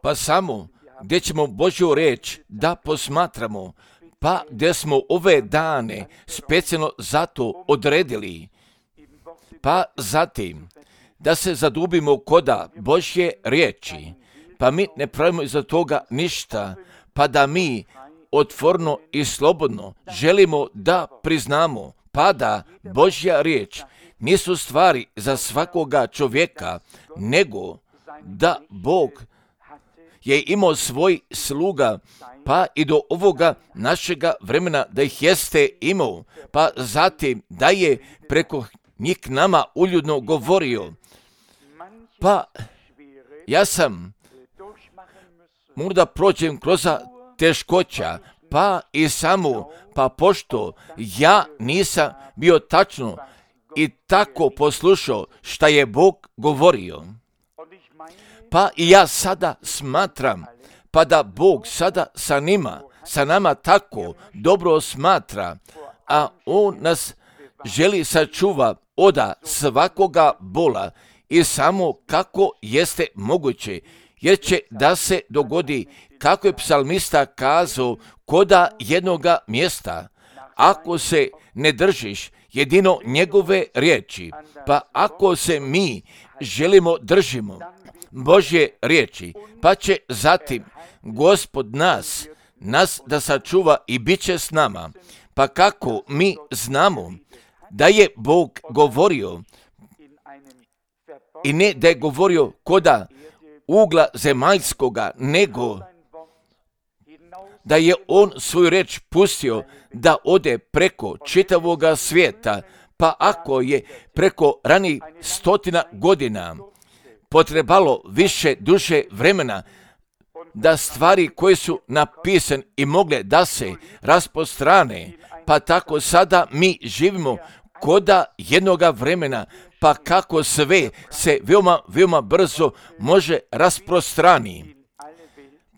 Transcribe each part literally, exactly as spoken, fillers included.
Pa samo gdje ćemo Božju riječ da posmatramo, pa gdje smo ove dane specijalno zato odredili, pa zatim da se zadubimo koda Božje riječi, pa mi ne pravimo iza toga ništa, pa da mi otvorno i slobodno želimo da priznamo, pa da Božja riječ nisu stvari za svakoga čovjeka, nego da Bog je imao svoj sluga, pa i do ovoga našega vremena da ih jeste imao, pa zatim da je preko njih nama uljudno govorio. Pa ja sam možda prođem kroz teškoća, pa i samo, pa pošto ja nisam bio tačno i tako poslušao šta je Bog govorio. Pa i ja sada smatram, pa da Bog sada sa njima, sa nama tako dobro smatra, a On nas želi sačuva oda svakoga bola i samo kako jeste moguće, jer će da se dogodi kako je psalmista kazao koda jednoga mjesta, ako se ne držiš jedino njegove riječi, pa ako se mi želimo držimo Božje riječi, pa će zatim Gospod nas, nas da sačuva i bit će s nama. Pa kako mi znamo da je Bog govorio, i ne da je govorio koda ugla zemaljskoga, nego da je On svoju riječ pustio da ode preko čitavoga svijeta, pa ako je preko ranih stotina godina potrebalo više duže vremena da stvari koje su napisane i mogle da se rasprostrane, pa tako sada mi živimo koda jednoga vremena, pa kako sve se veoma, veoma brzo može rasprostrani,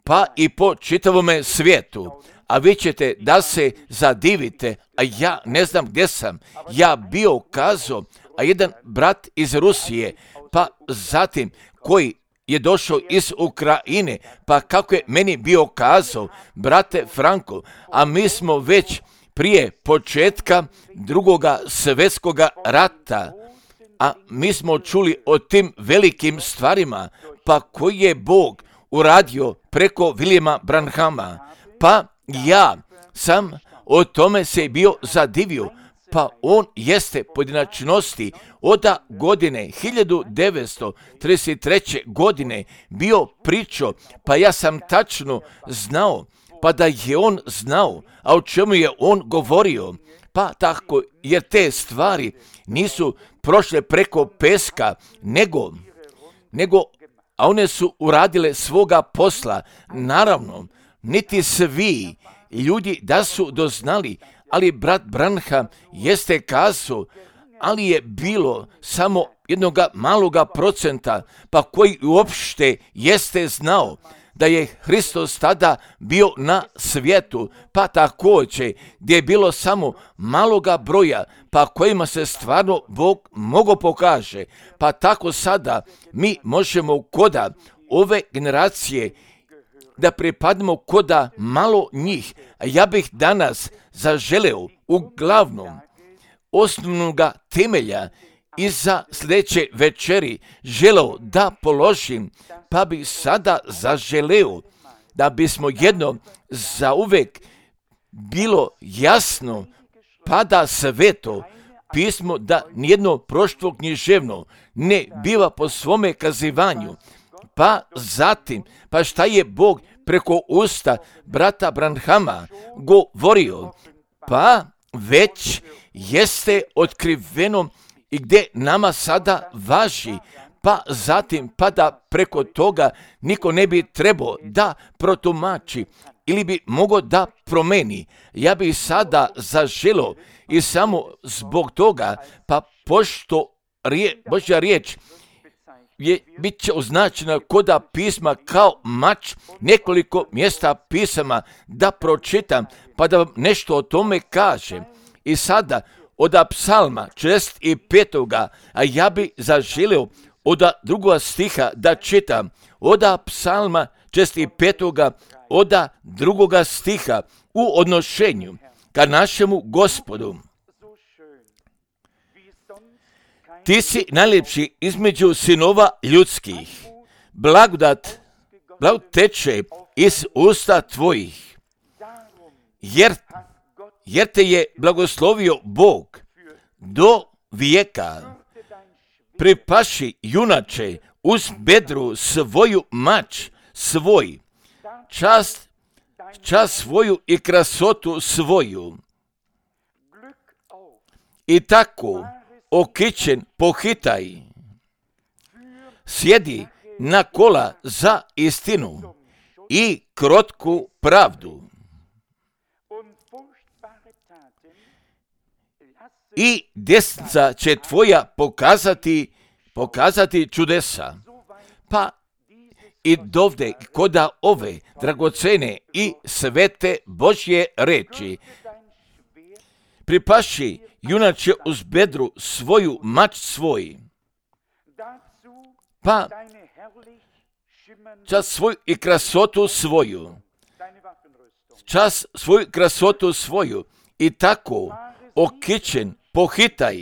pa i po čitavome svijetu. A vi ćete da se zadivite, a ja ne znam gdje sam, ja bio kazao, a jedan brat iz Rusije, pa zatim koji je došao iz Ukrajine, pa kako je meni bio kazao, brate Franko, a mi smo već prije početka drugoga svjetskoga rata, a mi smo čuli o tim velikim stvarima, pa koji je Bog uradio preko Williama Branhama, pa ja sam o tome se bio zadivio, pa on jeste pojedinačnosti od godine hiljadu devetsto trideset treće. godine bio pričao, pa ja sam tačno znao, pa da je on znao, a o čemu je on govorio, pa tako, jer te stvari nisu prošle preko peska, nego, nego, a one su uradile svoga posla, naravno, niti svi ljudi da su doznali, ali brat Branham jeste kazao, ali je bilo samo jednoga maloga procenta, pa koji uopšte jeste znao da je Hristos tada bio na svijetu, pa također gdje je bilo samo maloga broja, pa kojima se stvarno Bog mogo pokaže, pa tako sada mi možemo koda ove generacije da pripadnemo koda malo njih. A ja bih danas zaželeo uglavnom osnovnoga temelja i za sljedeće večeri želeo da položim, pa bi sada zaželeo da bismo jedno zauvek bilo jasno, pa da sveto pismo da nijedno proštvo književno ne biva po svome kazivanju, pa zatim, pa šta je Bog preko usta brata Branhama govorio, pa već jeste otkriveno i gdje nama sada važi, pa zatim, pa da preko toga niko ne bi trebao da protumači ili bi mogao da promeni. Ja bi sada zaželio i samo zbog toga, pa pošto rije, Božja riječ je, bit će označena koda pisma kao mač, nekoliko mjesta pisama da pročitam, pa da vam nešto o tome kažem. I sada od psalma četrdeset petoga. a ja bi zaželio od drugoga stiha da čitam, od psalma šezdeset petoga, od drugoga stiha u odnošenju ka našemu Gospodu. Ti si najljepši između sinova ljudskih. Blagodat, blagodat teče iz usta tvojih. Jer, jer te je blagoslovio Bog do vijeka. Pripaši, junače, uz bedru svoju mač svoj, čast, čast svoju i krasotu svoju. I tako, okićen, pohitaj, sjedi na kola za istinu i krotku pravdu. I desnica će tvoja pokazati, pokazati čudesa. Pa i dovde koda ove dragocene i svete Božje reči. Pripaši, junače, uz bedru svoju mač svoj, pa čas svoju i krasotu svoju, čas svoju krasotu svoju, i tako okićen, pohitaj,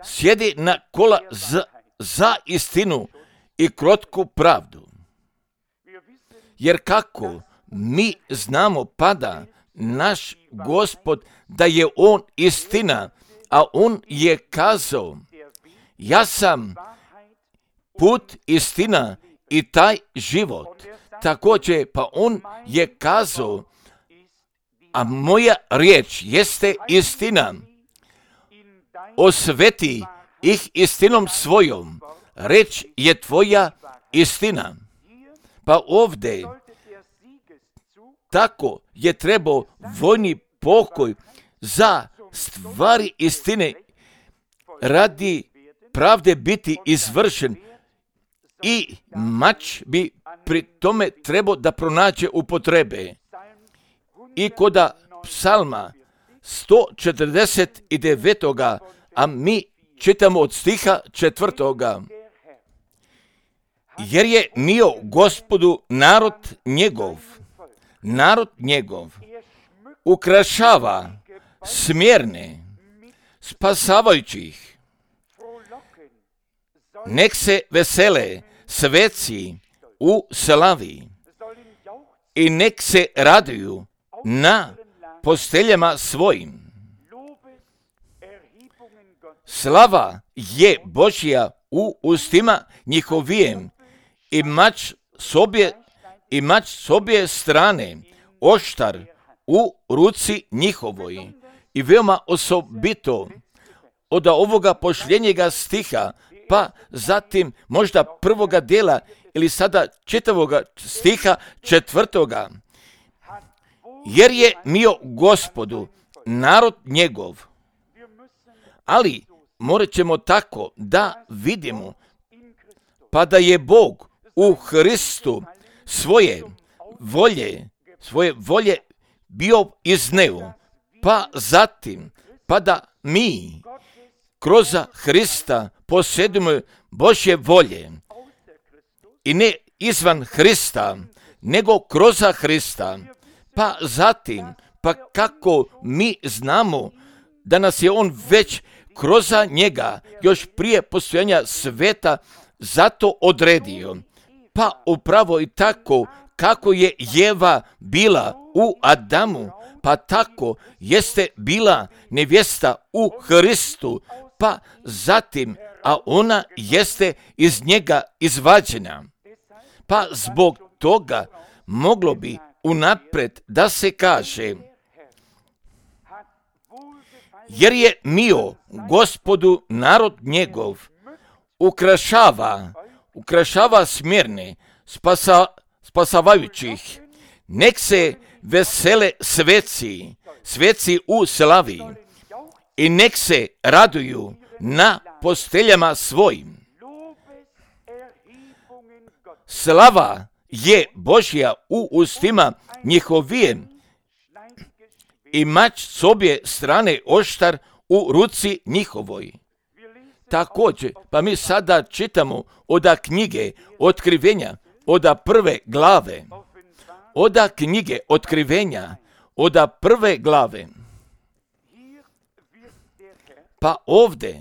sjedi na kola za, za istinu i krotku pravdu. Jer kako mi znamo pada naš Gospod da je on istina, a on je kazao, ja sam put, istina i taj život. Također, pa on je kazao, a moja riječ jeste istina. Osveti ih istinom svojom. Reč je tvoja istina. Pa ovdje tako je trebao vojni pokoj za stvari istine radi pravde biti izvršen i mač bi pri tome trebao da pronađe upotrebe. I koda psalma sto četrdeset devet. a mi čitamo od stiha četvrtoga. Jer je mio Gospodu narod njegov, narod njegov, ukrašava smjerne, spasavajućih. Nek se vesele sveci u slavi i nek se raduju na posteljama svojim. Slava je Božja u ustima njihovijem i mač s obje, i mač s obje strane, oštar u ruci njihovoj. I veoma osobito od ovoga pošljenjega stiha, pa zatim možda prvoga dela ili sada čitavoga stiha četvrtoga. Jer je mio Gospodu narod njegov. Ali morat ćemo tako da vidimo, pa da je Bog u Hristu svoje volje, svoje volje bio izneo, pa zatim, pa da mi kroz Hrista posjedimo Božje volje i ne izvan Hrista, nego kroz Hrista, pa zatim, pa kako mi znamo da nas je on već kroz njega još prije postojanja sveta zato odredio. Pa upravo i tako kako je Jeva bila u Adamu, pa tako jeste bila nevjesta u Hristu, pa zatim, a ona jeste iz njega izvađena. Pa zbog toga moglo bi unaprijed da se kaže, jer je mio Gospodu narod njegov, ukrašava, ukrašava smjerne, spasa, spasavajućih, nek se vesele sveci, sveci u slavi i nek se raduju na posteljama svojim. Slava je Božja u ustima njihovijem i mač s obje strane oštar u ruci njihovoj. također, pa mi sada čitamo oda knjige Otkrivenja, oda prve glave, oda knjige Otkrivenja, oda prve glave. Pa ovdje,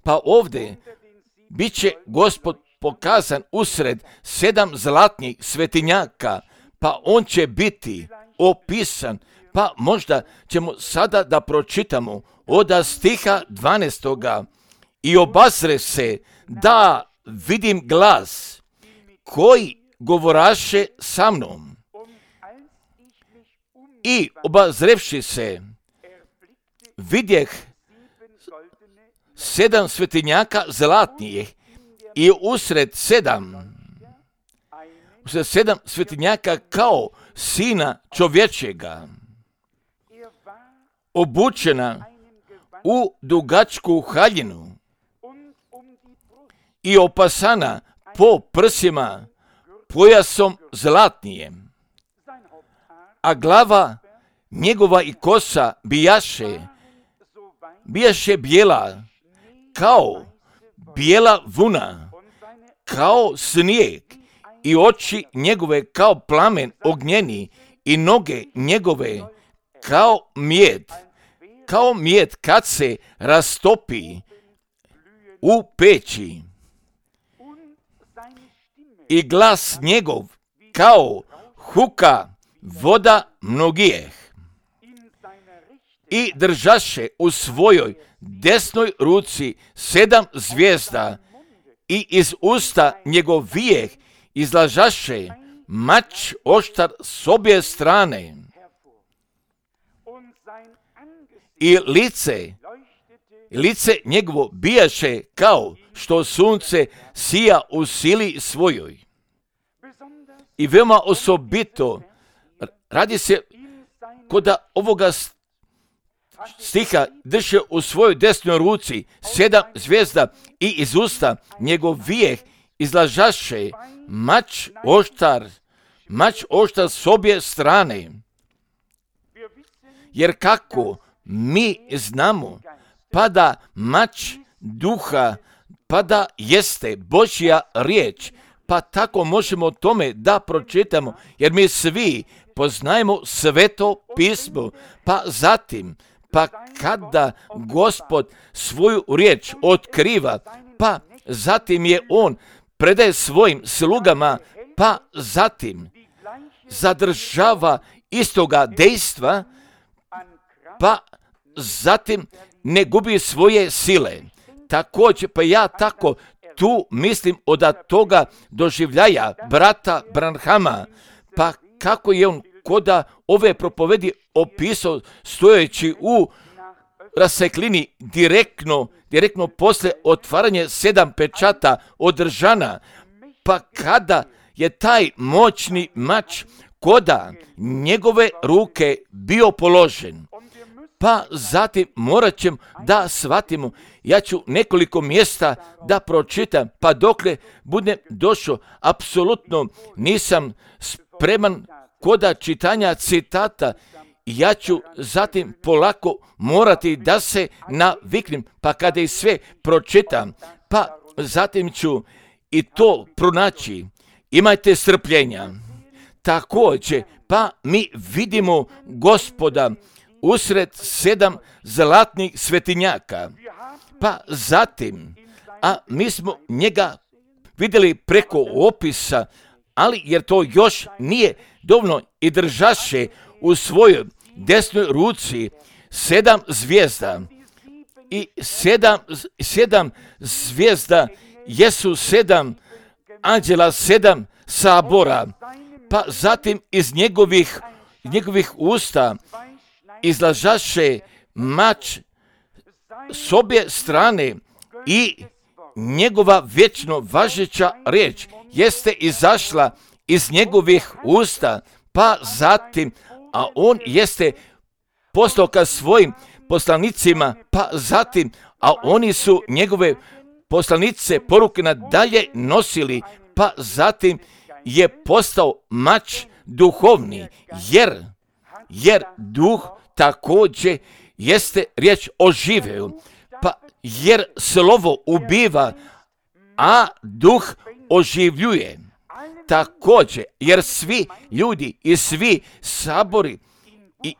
pa ovdje, bit će Gospod pokazan usred sedam zlatnih svetinjaka, pa on će biti opisan, pa možda ćemo sada da pročitamo oda stiha dvanaestoga. I obazre se da vidim glas koji govoraše sa mnom. I obazrevši se, vidjeh sedam svetinjaka zlatnijih i usred sedam, usred sedam svetinjaka kao sina čovječega, obučena u dugačku haljinu i opasana po prsima pojasom zlatnijem, a glava njegova i kosa bijaše, bijaše bijela kao bijela vuna, kao snijeg, i oči njegove kao plamen ognjeni i noge njegove kao mijed, kao mijed kad se rastopi u peći. I glas njegov kao huka voda mnogijeh. I držaše u svojoj desnoj ruci sedam zvijezda i iz usta njegovijeh izlažaše mač oštar s obje strane. I lice, lice njegovo bijaše kao što sunce sija u sili svojoj. I veoma osobito radi se koda ovoga stiha drže u svojoj desnoj ruci sedam zvijezda i iz usta njegovijeh izlažaše mač oštar, mač oštar s obje strane. Jer kako mi znamo, pa da mač duha, pa da jeste Božja riječ, pa tako možemo tome da pročitamo, jer mi svi poznajemo Sveto pismo, pa zatim, pa kada Gospod svoju riječ otkriva, pa zatim je on predaje svojim slugama, pa zatim zadržava istoga dejstva, pa zatim ne gubi svoje sile. Također, pa ja tako tu mislim od toga doživljaja brata Branhama, pa kako je on koda ove propovedi opisao stojeći u raseklini direktno, direktno posle otvaranje sedam pečata održana, pa kada je taj moćni mač koda njegove ruke bio položen. Pa zatim morat ćemo da shvatimo, ja ću nekoliko mjesta da pročitam, pa dokle budem došao, apsolutno nisam spreman koda čitanja citata, ja ću zatim polako morati da se naviknem, pa kada i sve pročitam, pa zatim ću i to pronaći. Imajte strpljenja. Također, pa mi vidimo Gospoda usred sedam zlatnih svetinjaka, pa zatim, a mi smo njega vidjeli preko opisa, ali jer to još nije dovoljno, i držaše u svojoj desnoj ruci sedam zvijezda. I sedam, sedam zvijezda jesu sedam anđela, sedam sabora, pa zatim iz njegovih, njegovih usta izlažaše mač s obje strane i njegova vječno važeća riječ jeste izašla iz njegovih usta, pa zatim, a on jeste poslao ka svojim poslanicima, pa zatim, a oni su njegove poslanice poruke nadalje nosili, pa zatim je postao mač duhovni, jer, jer duh također jeste riječ oživeo, pa jer slovo ubiva, a duh oživljuje. Također, jer svi ljudi i svi sabori i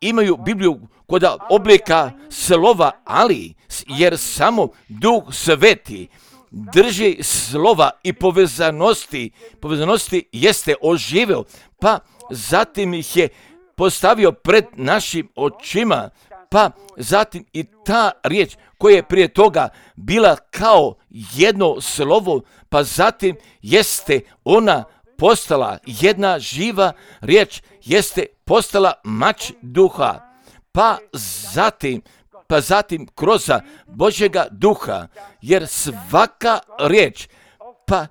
imaju Bibliju kod oblika slova, ali jer samo Duh Sveti drži slova i povezanosti, povezanosti jeste oživio, pa zatim ih je postavio pred našim očima, pa zatim i ta riječ koja je prije toga bila kao jedno slovo, pa zatim jeste ona postala jedna živa riječ, jeste postala mač duha, pa zatim, pa zatim kroz Božjega duha, jer svaka riječ, pa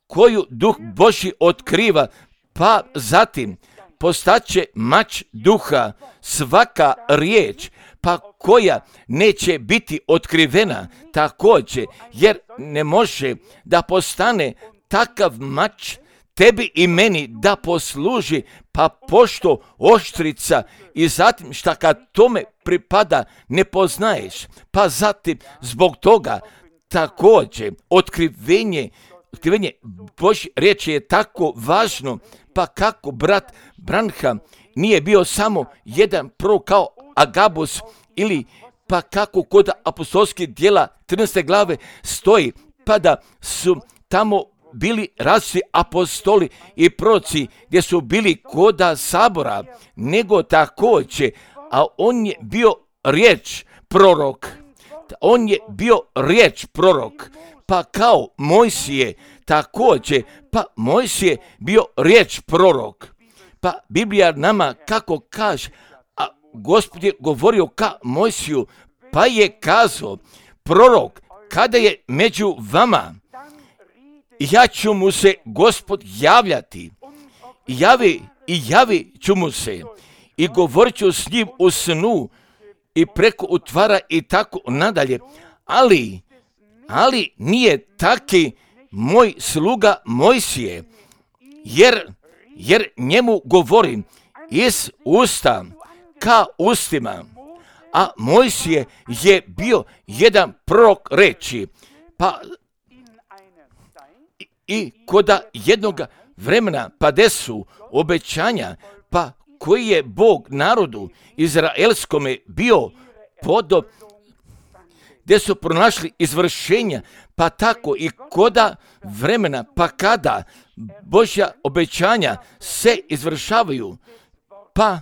koju duh Božji otkriva, pa zatim postaće mač duha, svaka riječ, pa koja neće biti otkrivena također, jer ne može da postane takav mač tebi i meni da posluži, pa pošto oštrica i zatim šta kad tome pripada ne poznaješ, pa zatim zbog toga također otkrivenje, otkrivenje Božje riječi je tako važno, pa kako brat Branham nije bio samo jedan prorok kao Agabus, ili pa kako kod apostolskih djela trinaeste glave stoji, pa da su tamo bili različiti apostoli i proroci gdje su bili koda sabora, nego također, a on je bio riječ prorok, on je bio riječ prorok, pa kao Mojsije također, pa Mojsije bio riječ prorok, pa Biblija nama kako kaže, a Gospod je govorio ka Mojsiju, pa je kazao, prorok, kada je među vama, ja ću mu se Gospod javljati, javi i javi ću mu se i govorit ću s njim u snu i preko utvara i tako nadalje, ali, ali nije taki moj sluga Mojsije, jer, jer njemu govorim iz usta ka ustima, a Mojsije je bio jedan prorok reči, pa i koda jednog vremena pa desu obećanja, pa koji je Bog narodu izraelskome bio podo, gdje su pronašli izvršenja, pa tako i koda vremena, pa kada Božja obećanja se izvršavaju, pa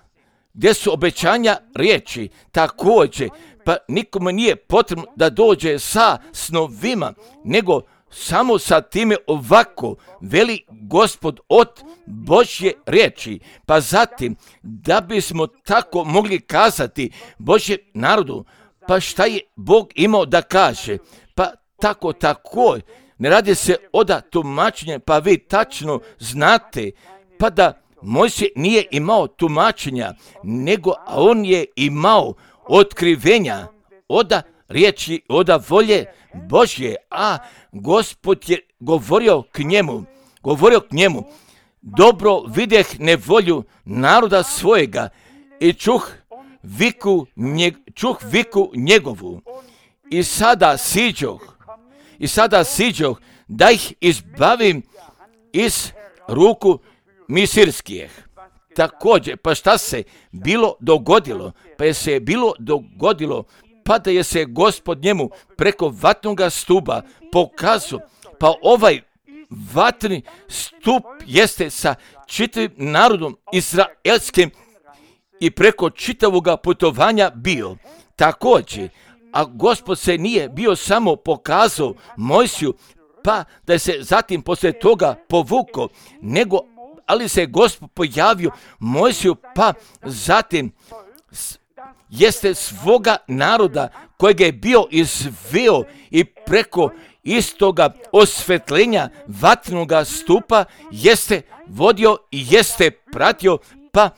gdje su obećanja riječi također, pa nikome nije potrebno da dođe sa snovima, nego samo sa time ovako veli Gospod od Božje riječi, pa zatim da bismo tako mogli kazati Božje narodu, pa šta je Bog imao da kaže, pa tako tako, ne radi se oda tumačenja, pa vi tačno znate, pa da Mojsije nije imao tumačenja, nego on je imao otkrivenja oda riječi, oda volje Božje, a Gospod je govorio k njemu, govorio k njemu, dobro videh nevolju naroda svojega i čuh viku, njeg, čuh viku njegovu i sada siđoh, i sada siđoh da ih izbavim iz ruku misirskih. Također, pa šta se bilo dogodilo? Pa je se bilo dogodilo pa da je se Gospod njemu preko vatnoga stupa pokazao, pa ovaj vatni stup jeste sa čitavim narodom izraelskim i preko čitavoga putovanja bio. Također, a Gospod se nije bio samo pokazao Mojsiju, pa da se zatim poslije toga povukao, nego ali se Gospod pojavio Mojsiju, pa zatim jeste svoga naroda kojeg je bio izveo i preko istoga osvetljenja vatnoga stupa jeste vodio i jeste pratio, pa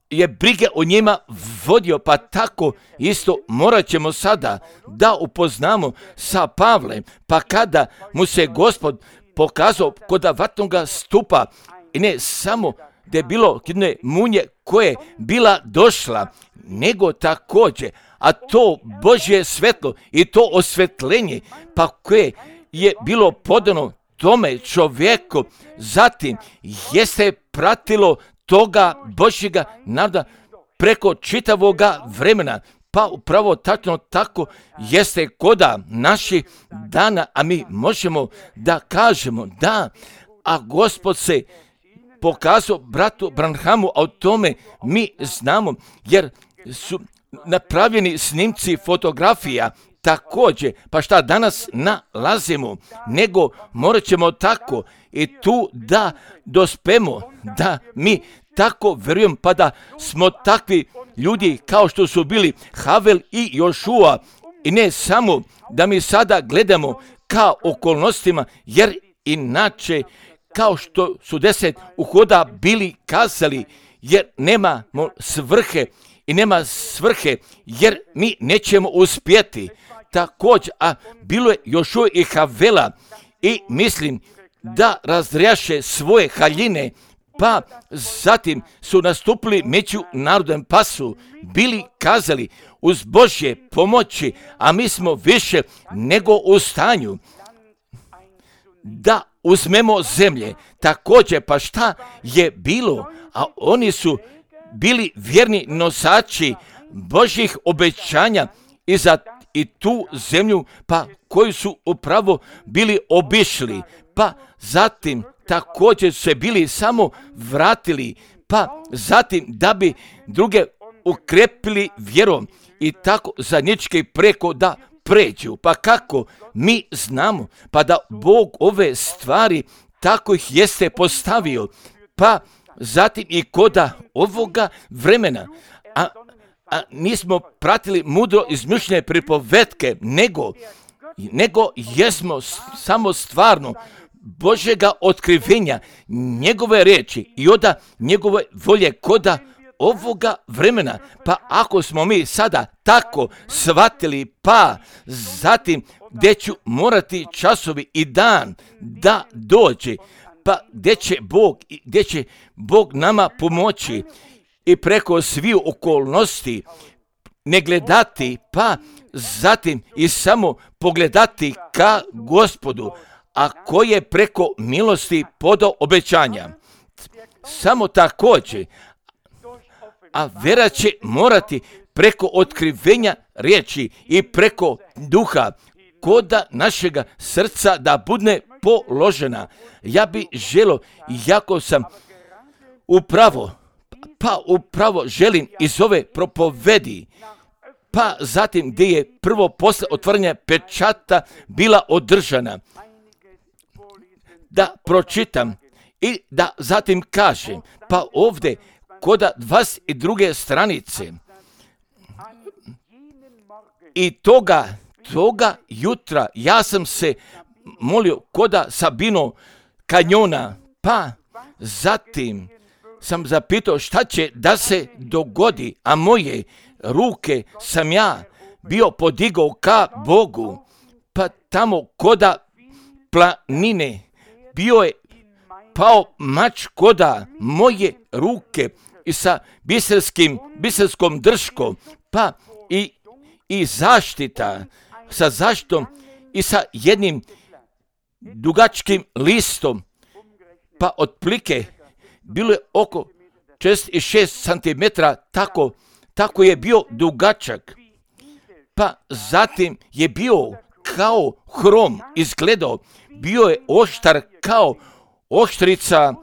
je brige o njima vodio, pa tako isto morat ćemo sada da upoznamo sa Pavlem, pa kada mu se Gospod pokazao kod vatnoga stupa, i ne samo da je bilo jedne munje koje bila došla, nego također, a to Božje svetlo i to osvetljenje, pa koje je bilo podano tome čovjeku, zatim jeste pratilo toga Božjega naroda preko čitavoga vremena. Pa upravo tačno tako jeste koda naših dana, a mi možemo da kažemo da, a Gospod se pokazao bratu Branhamu, a o tome mi znamo, jer su napravljeni snimci fotografija također, pa šta danas nalazimo, nego morat ćemo tako i tu da dospemo, da mi tako vjerujem, pa da smo takvi ljudi kao što su bili Havel i Jošua, i ne samo da mi sada gledamo ka okolnostima, jer inače kao što su deset uhoda bili kazali, jer nemamo svrhe i nema svrhe, jer mi nećemo uspjeti. Također, a bilo je Jošua i Havela, i mislim da razrijaše svoje haljine, pa zatim su nastupili među narodom, pa su bili kazali uz Božje pomoći, a mi smo više nego u stanju da uzmemo zemlje. Također, pa šta je bilo? A oni su bili vjerni nosači Božjih obećanja i za i tu zemlju, pa koju su upravo bili obišli, pa zatim također se bili samo vratili, pa zatim da bi druge ukrepili vjerom i tako zajednički preko da pređu. Pa kako mi znamo, pa da Bog ove stvari tako ih jeste postavio, pa zatim i koda ovoga vremena, a, a nismo pratili mudro izmišljene pripovetke, nego, nego jesmo samo stvarno Božjega otkrivenja, njegove riječi i oda njegove volje koda ovoga vremena. Pa ako smo mi sada tako shvatili, pa zatim gdje ću morati časovi i dan da dođe, pa gdje će Bog, gdje će Bog nama pomoći i preko svih okolnosti ne gledati, pa zatim i samo pogledati ka Gospodu, a koji je preko milosti podao obećanja. Samo također, a vera će morati preko otkrivenja riječi i preko duha koda našega srca da bude položena. Ja bi želio, jako sam upravo, pa upravo želim iz ove propovedi, pa zatim gdje je prvo posle otvaranja pečata bila održana, da pročitam i da zatim kažem, pa ovdje koda dvadeset druge stranice i toga, toga jutra ja sam se molio koda Sabino kanjona, pa zatim sam zapitao šta će da se dogodi, a moje ruke sam ja bio podigao ka Bogu, pa tamo koda planine bio je pao mač koda moje ruke i sa biserskim, biserskom drškom, pa i, i zaštita, sa zaštitom i sa jednim dugačkim listom, pa otplike bilo je oko šezdeset šest centimetara, tako, tako je bio dugačak, pa zatim je bio kao hrom izgledao, bio je oštar kao oštrica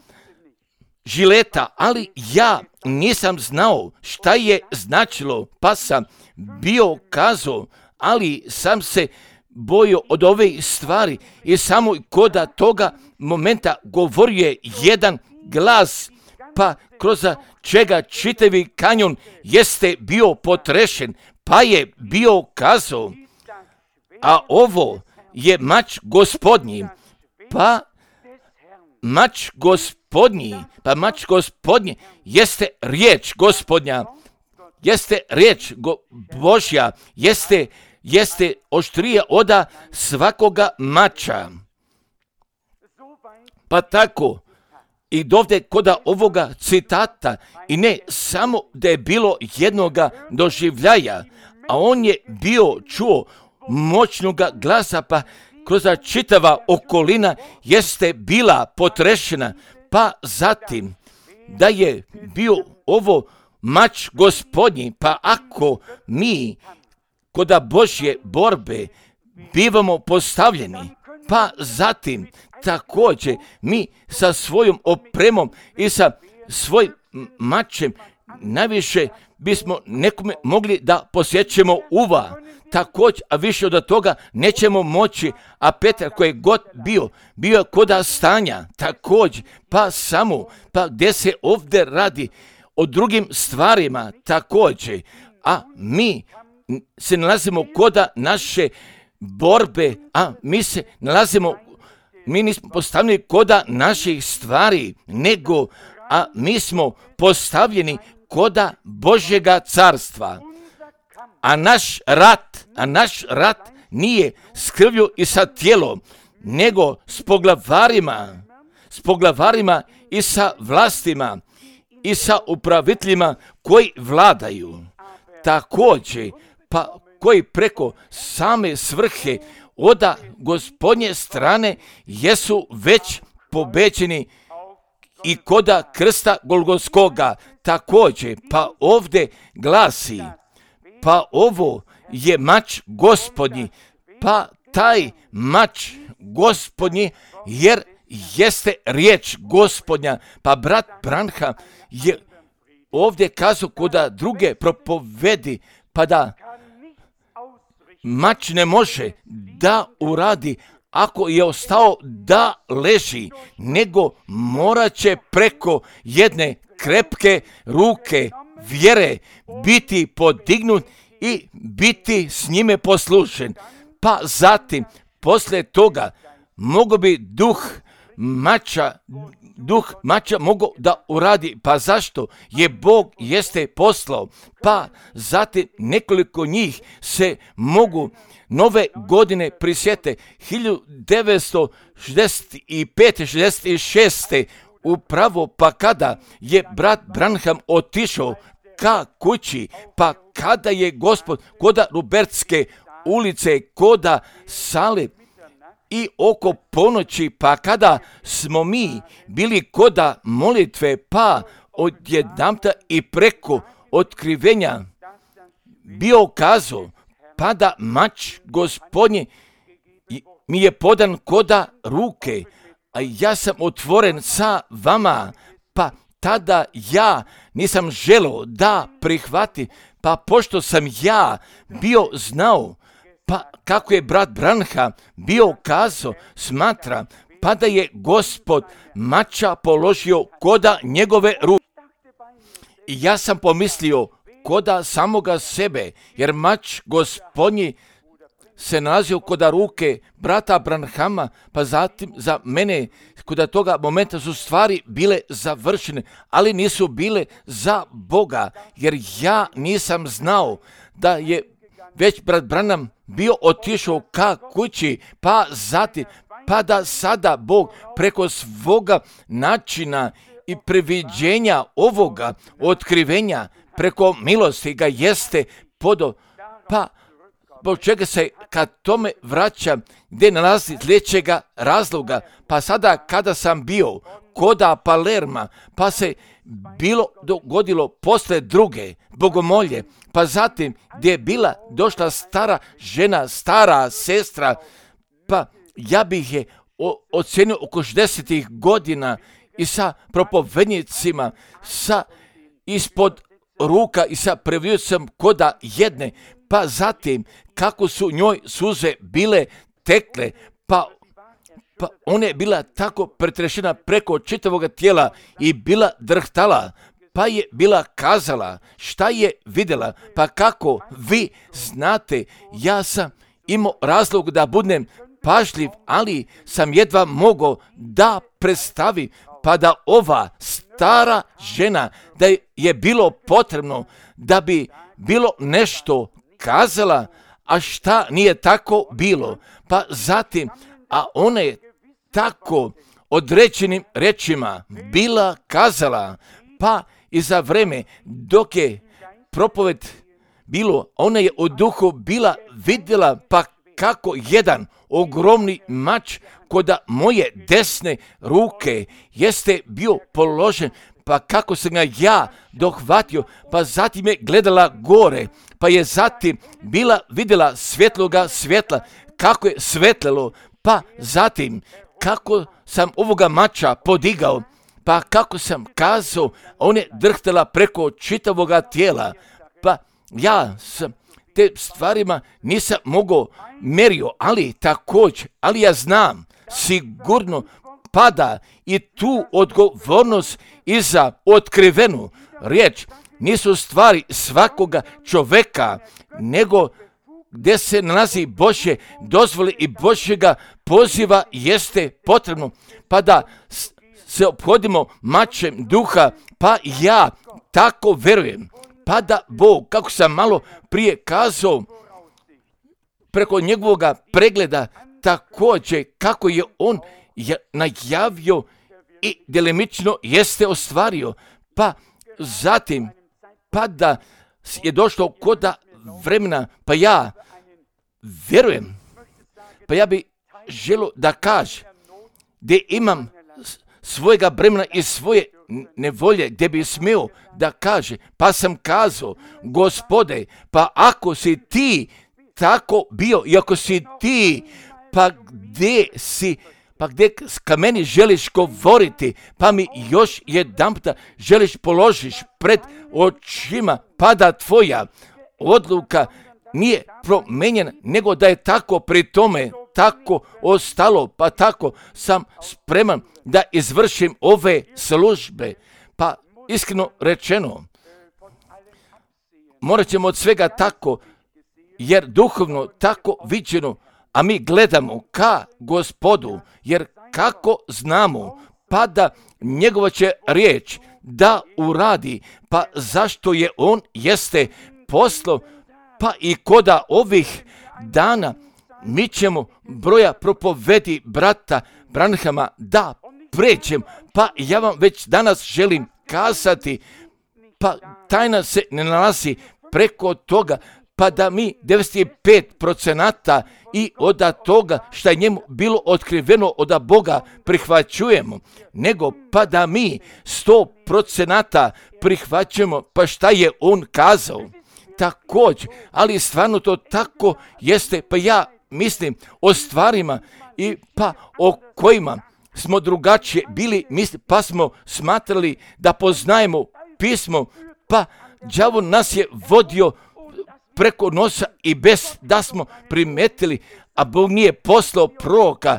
žileta, ali ja nisam znao šta je značilo, pa sam bio kazao, ali sam se bojio od ove stvari i samo koda toga momenta govorio je jedan glas, pa kroz čega čitavi kanjon jeste bio potrešen, pa je bio kazao, a ovo je mač Gospodnji, pa mač Gospodnji, pa mač Gospodnji jeste riječ Gospodnja, jeste riječ go, Božja, jeste, jeste oštrija oda svakoga mača. Pa tako, i dovde koda ovoga citata, i ne samo da je bilo jednoga doživljaja, a on je bio čuo moćnog glasa, pa kroz čitava okolina jeste bila potrešena, pa zatim da je bio ovo mač Gospodnji, pa ako mi kod Božje borbe bivamo postavljeni, pa zatim također mi sa svojom opremom i sa svojim mačem najviše bismo nekome mogli da posjećemo uva. Također, a više od toga nećemo moći, a Petar koji je god bio, bio je koda stanja, također, pa samo, pa gdje se ovdje radi o drugim stvarima, također, a mi se nalazimo koda naše borbe, a mi se nalazimo, mi nismo postavljeni koda naših stvari, nego, a mi smo postavljeni koda Božjega carstva. A naš rat, a naš rat nije s krvlju i sa tijelom, nego s poglavarima, s poglavarima i sa vlastima i sa upraviteljima koji vladaju. Također, pa koji preko same svrhe oda Gospodnje strane jesu već pobeđeni i koda krsta Golgotskoga. Također, pa ovdje glasi, pa ovo je mač Gospodnji, pa taj mač Gospodnji, jer jeste riječ Gospodnja. Pa brat Branham je ovdje kazao koda druge propovedi, pa da mač ne može da uradi ako je ostao da leži, nego morat će preko jedne krepke ruke vjere biti podignut i biti s njime poslušen. Pa zatim, poslije toga, mogo bi duh mača, duh mača mogo da uradi. Pa zašto? Je Bog jeste poslao. Pa zatim nekoliko njih se mogu nove godine prisjete hiljadu devetsto šezdeset pete šezdeset šeste upravo pa kada je brat Branham otišao ka kući, pa kada je Gospod koda Rubertske ulice, koda sale i oko ponoći, pa kada smo mi bili koda molitve, pa odjedanputa i preko otkrivenja bio kazao, pa da mač Gospodnji mi je podan koda ruke, a ja sam otvoren sa vama, pa tada ja nisam želio da prihvati, pa pošto sam ja bio znao, pa kako je brat Branham bio kazao, smatra, pa da je Gospod mača položio koda njegove ruke. I ja sam pomislio koda samoga sebe, jer mač Gospodnji se nalazio koda ruke brata Branhama, pa zatim za mene koda toga momenta su stvari bile završene, ali nisu bile za Boga, jer ja nisam znao da je već brat Branham bio otišao ka kući, pa zatim, pa da sada Bog preko svoga načina i previđenja ovoga otkrivenja preko milosti ga jeste podo, pa zbog čega se kad tome vraća gdje nalazi sljedećega razloga, pa sada kada sam bio koda Palerma, pa se bilo dogodilo posle druge bogomolje, pa zatim gdje je bila došla stara žena, stara sestra, pa ja bih je ocenio oko šezdesetih godina i sa propovednicima, sa ispod ruka i sa previjucem koda jedne, pa zatim kako su njoj suze bile tekle, pa, pa ona je bila tako pretrešena preko čitavog tijela i bila drhtala, pa je bila kazala šta je vidjela, pa kako vi znate, ja sam imao razlog da budem pažljiv, ali sam jedva mogao da predstavim, pa da ova stara žena, da je bilo potrebno da bi bilo nešto kazala, a šta nije tako bilo, pa zatim, a ona je tako određenim rečima bila kazala, pa i za vreme dok je propoved bilo, ona je u duhu bila vidjela pa kako jedan ogromni mač kod moje desne ruke jeste bio položen, pa kako sam ga ja dohvatio, pa zatim je gledala gore, pa je zatim bila vidjela svjetloga svjetla, kako je svetlelo, pa zatim kako sam ovoga mača podigao, pa kako sam kazao, on je drhtala preko čitavoga tijela, pa ja sam te stvarima nisam mogao merio, ali također, ali ja znam, sigurno pada i tu odgovornost i za otkrivenu riječ. Nisu stvari svakoga čoveka, nego gdje se nalazi Božje dozvole i Božjega poziva jeste potrebno, pa da se ophodimo mačem duha, pa ja tako verujem, pa da Bog, kako sam malo prije kazao, preko njegovoga pregleda također kako je on najavio i delimično jeste ostvario, pa zatim pa da je došlo koda vremena, pa ja vjerujem, pa ja bi želio da kaže gdje imam svojega vremena i svoje nevolje, gdje bi smio da kaže, pa sam kazao, Gospode, pa ako si ti tako bio i ako si ti, pa gdje si, pa gdje ka meni želiš govoriti, pa mi još jedanputa želiš položiš pred očima, pa da tvoja odluka nije promenjena, nego da je tako pri tome tako ostalo, pa tako sam spreman da izvršim ove službe. Pa iskreno rečeno, morat ćemo od svega tako, jer duhovno tako viđeno, a mi gledamo ka Gospodu, jer kako znamo, pa da njegova će riječ da uradi, pa zašto je on jeste poslo, pa i koda ovih dana mi ćemo broja propovedi brata Branhama da pređem, pa ja vam već danas želim kazati, pa tajna se ne nalazi preko toga, pa da mi devedeset pet procenata i od toga što je njemu bilo otkriveno od Boga prihvaćujemo, nego pa da mi sto procenata prihvaćujemo, pa šta je on kazao. Također, ali stvarno to tako jeste, pa ja mislim o stvarima i pa o kojima smo drugačije bili, misli, pa smo smatrali da poznajemo pismo, pa đavo nas je vodio preko nosa i bez da smo primetili, a Bog nije poslao proroka,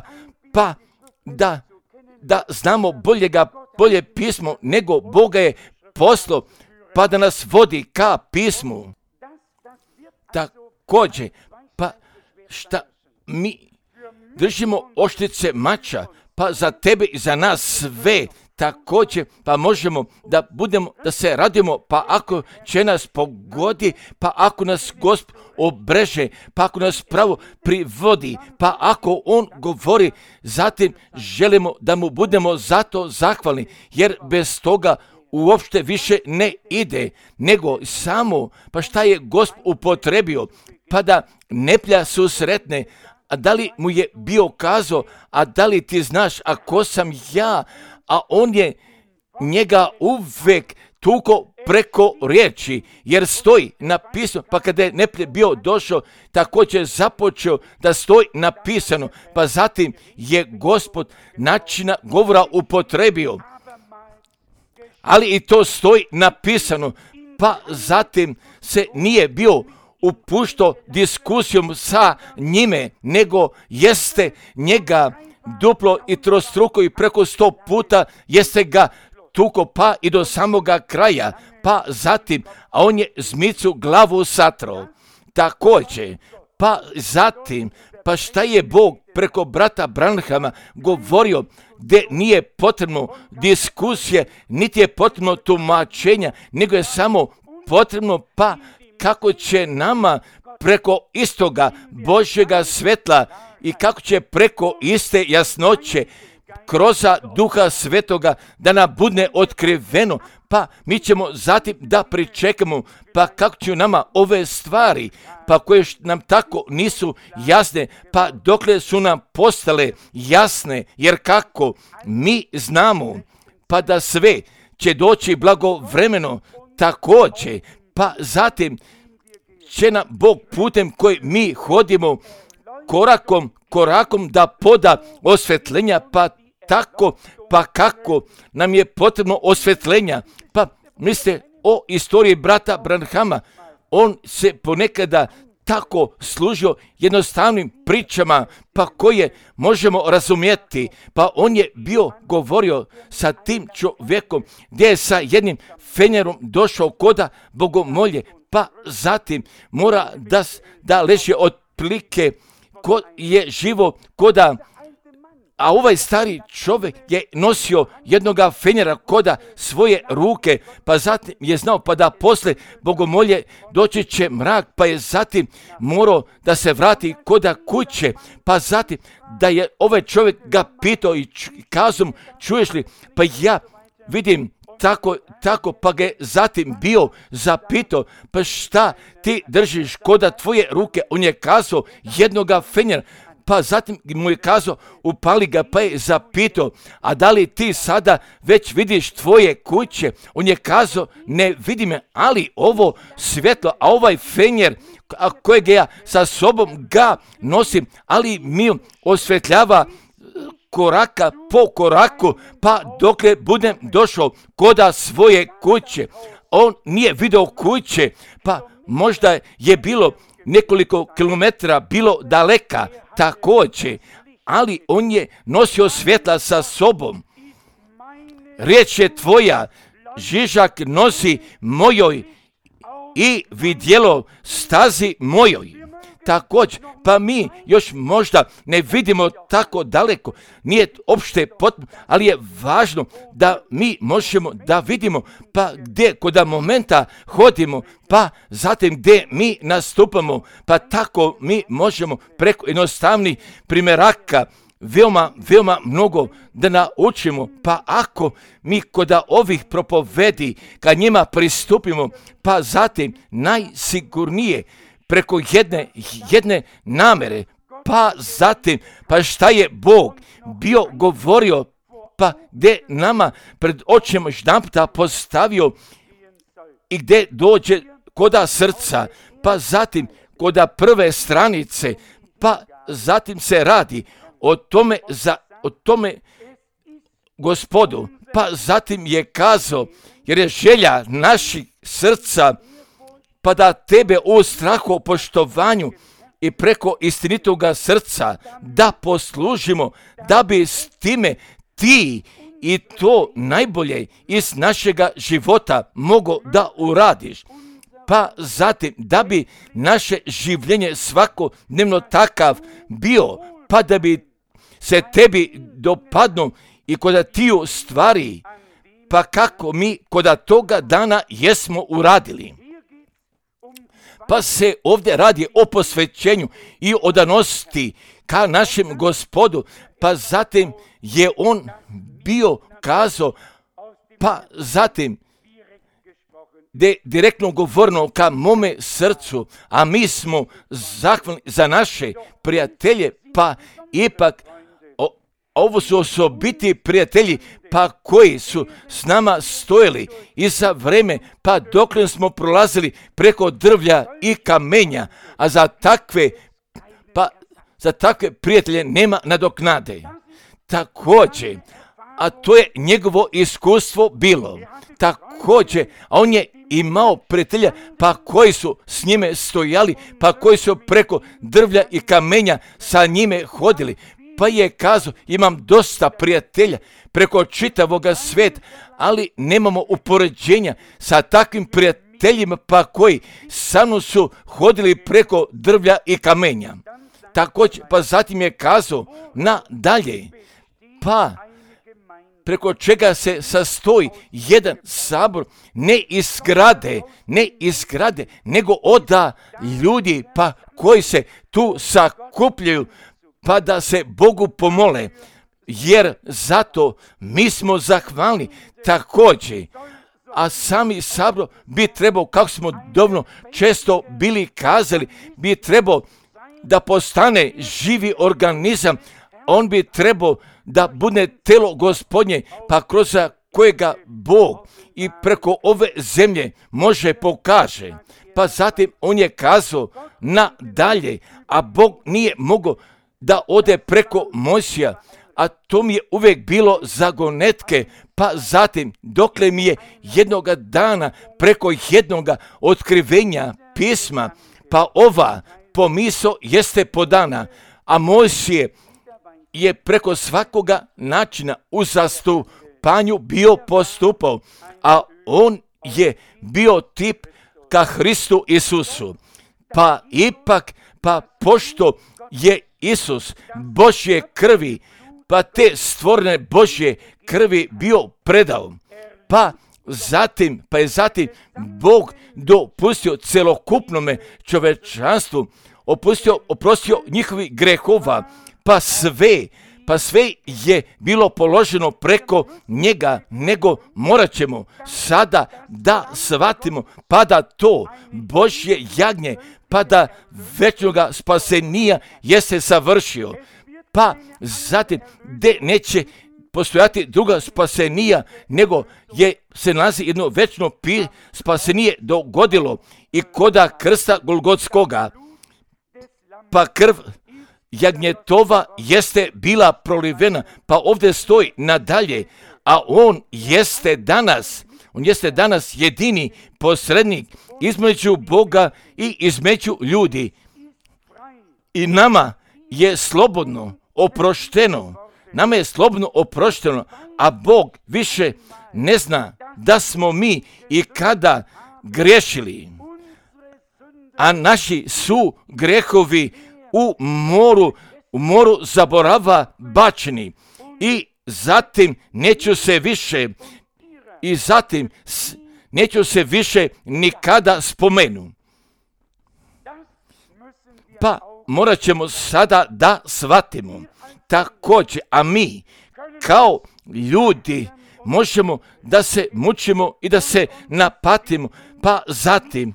pa da, da znamo boljega, bolje pismo nego Boga je poslao, pa da nas vodi ka pismu. Također, pa šta mi držimo oštrice mača, pa za tebe i za nas sve također, pa možemo da budemo, da se radimo, pa ako će nas pogodi, pa ako nas Gospod obreže, pa ako nas pravo privodi, pa ako on govori, zatim želimo da mu budemo zato zahvalni, jer bez toga uopšte više ne ide, nego samo, pa šta je Gospod upotrebio, pa da neplja susretne, a da li mu je bio kazao, a da li ti znaš, a ko sam ja, a on je njega uvek tuko preko riječi, jer stoji napisano, pa kada je neplje bio došao, također započeo da stoji napisano, pa zatim je Gospod načina govora upotrebio, ali i to stoji napisano, pa zatim se nije bio upuštao diskusijom sa njime, nego jeste njega duplo i trostruko i preko sto puta jeste ga tuko, pa i do samoga kraja, pa zatim, a on je zmicu glavu satrao. Također, pa zatim, pa šta je Bog preko brata Branhama govorio, gdje nije potrebno diskusije, niti je potrebno tumačenja, nego je samo potrebno, pa kako će nama preko istoga Božjega svetla i kako će preko iste jasnoće kroz Duha Svetoga da nam bude otkriveno, pa mi ćemo zatim da pričekamo, pa kako će nama ove stvari, pa koje nam tako nisu jasne, pa dokle su nam postale jasne, jer kako mi znamo, pa da sve će doći blagovremeno također, pa zatim će nam Bog putem koji mi hodimo korakom, korakom da poda osvetljenja, pa tako, pa kako nam je potrebno osvetljenja. Pa mislite o istoriji brata Branhama, on se ponekada tako služio jednostavnim pričama, pa koje možemo razumjeti. Pa on je bio govorio sa tim čovjekom gdje je sa jednim fenjerom došao koda bogomolje, pa zatim mora da, da leže otprilike ko je živo koda, a ovaj stari čovjek je nosio jednoga fenjera koda svoje ruke, pa zatim je znao pa da posle bogomolje doći će mrak, pa je zatim morao da se vrati koda kuće, pa zatim da je ovaj čovjek ga pitao i kazao mu, čuješ li, pa ja vidim tako, tako, pa ga je zatim bio zapitao, pa šta ti držiš koda tvoje ruke, on je kazao jednoga fenjera, pa zatim mu je kazao, upali ga, pa je zapitao, a da li ti sada već vidiš tvoje kuće? On je kazao, ne vidi me, ali ovo svjetlo, a ovaj fenjer kojeg ja sa sobom ga nosim, ali mi osvetljava koraka po koraku, pa dokle budem došao koda svoje kuće. On nije vidio kuće, pa možda je bilo nekoliko kilometara, bilo daleka također, ali on je nosio svjetla sa sobom. Riječ je tvoja, žižak nosi mojoj i vidjelo stazi mojoj. Također, pa mi još možda ne vidimo tako daleko, nije opšte potpuno, ali je važno da mi možemo da vidimo pa gdje koda momenta hodimo, pa zatim gdje mi nastupamo, pa tako mi možemo preko jednostavnih primjeraka veoma, veoma mnogo da naučimo, pa ako mi koda ovih propovedi kad njima pristupimo, pa zatim najsigurnije preko jedne, jedne namere, pa zatim, pa šta je Bog bio govorio, pa gdje nama pred očima jedanputa postavio i gdje dođe koda srca, pa zatim koda prve stranice, pa zatim se radi o tome, za, o tome Gospodu, pa zatim je kazao, jer je želja naših srca, pa da tebe u strahu, poštovanju i preko istinitoga srca da poslužimo, da bi s time ti i to najbolje iz našega života mogo da uradiš. Pa zatim da bi naše življenje svakodnevno takav bio, pa da bi se tebi dopadno i koda tiju stvari, pa kako mi koda toga dana jesmo uradili. Pa se ovdje radi o posvećenju i odanosti ka našem Gospodu, pa zatim je on bio kazao, pa zatim de direktno govorno ka mome srcu, a mi smo zahvalni za naše prijatelje, pa ipak o, ovo su osobiti prijatelji, pa koji su s nama stojili i za vreme, pa dokle smo prolazili preko drvlja i kamenja, a za takve, pa za takve prijatelje nema nadoknade. Također, a to je njegovo iskustvo bilo. Također, a on je imao prijatelja, pa koji su s njime stojali, pa koji su preko drvlja i kamenja sa njime hodili. Pa je kazao, imam dosta prijatelja preko čitavoga sveta, ali nemamo upoređenja sa takvim prijateljima, pa koji sa mnom su hodili preko drvlja i kamenja. Također, pa zatim je kazao nadalje, pa preko čega se sastoji jedan sabor, ne iz zgrade, ne iz zgrade, nego oda ljudi, pa koji se tu sakupljaju, pa da se Bogu pomole. jer zato mi smo zahvalni također. A sami sabor bi trebao, kako smo dovoljno često bili kazali, bi trebao da postane živi organizam. On bi trebao da bude telo Gospodnje, pa kroz kojega Bog i preko ove zemlje može pokaže. Pa zatim on je kazao nadalje, a Bog nije mogao da ode preko Mojsija, a to mi je uvijek bilo zagonetke. Pa zatim, dokle mi je jednoga dana preko jednoga otkrivenja pisma, pa ova pomisao jeste podana, a Mojsije je preko svakoga načina u zastupanju bio postupao, a on je bio tip ka Hristu Isusu. Pa ipak, pa pošto je Isus Božje krvi, pa te stvorene Božje krvi bio predao, pa zatim, pa je zatim Bog dopustio celokupnome čovečanstvu, opustio, oprostio njihovi grehova, pa sve, pa sve je bilo položeno preko njega, nego morat ćemo sada da shvatimo, pa da to Božje jagnje, pa da večnoga spasenija jeste savršio, pa zatim gde neće postojati druga spasenija, nego je se nalazi jedno večno pi spasenije dogodilo i koda krsta Golgotskoga, pa krv jagnjetova jeste bila prolivena, pa ovdje stoji nadalje, a on jeste danas, on jeste danas jedini posrednik između Boga i između ljudi. I nama je slobodno oprošteno, nama je slobodno oprošteno, a Bog više ne zna da smo mi i kada griješili, a naši su grehovi u moru, u moru zaborava bačeni, i zatim neću se više, i zatim neću se više nikada spomenu. Pa morat ćemo sada da shvatimo također, a mi kao ljudi možemo da se mučimo i da se napatimo, pa zatim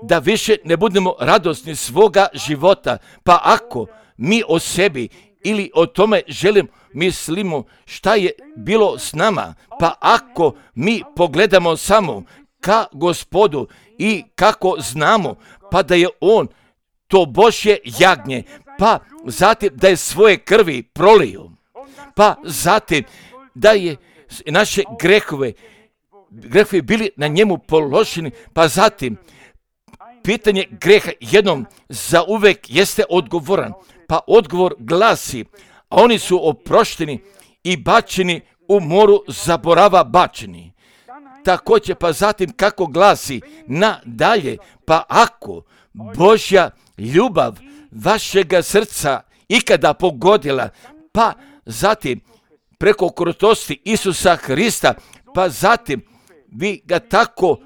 da više ne budemo radosni svoga života, pa ako mi o sebi ili o tome želim mislimo šta je bilo s nama, pa ako mi pogledamo samo ka Gospodu i kako znamo, pa da je on to Božje jagnje, pa zatim da je svoje krvi prolio, pa zatim da je naše grehove, grehovi bili na njemu položeni, pa zatim pitanje greha jednom za uvek jeste odgovoran, pa odgovor glasi, a oni su oprošteni i bačeni u moru zaborava bačeni. Također, pa zatim kako glasi nadalje, pa ako Božja ljubav vašega srca ikada pogodila, pa zatim preko krutosti Isusa Hrista, pa zatim vi ga tako,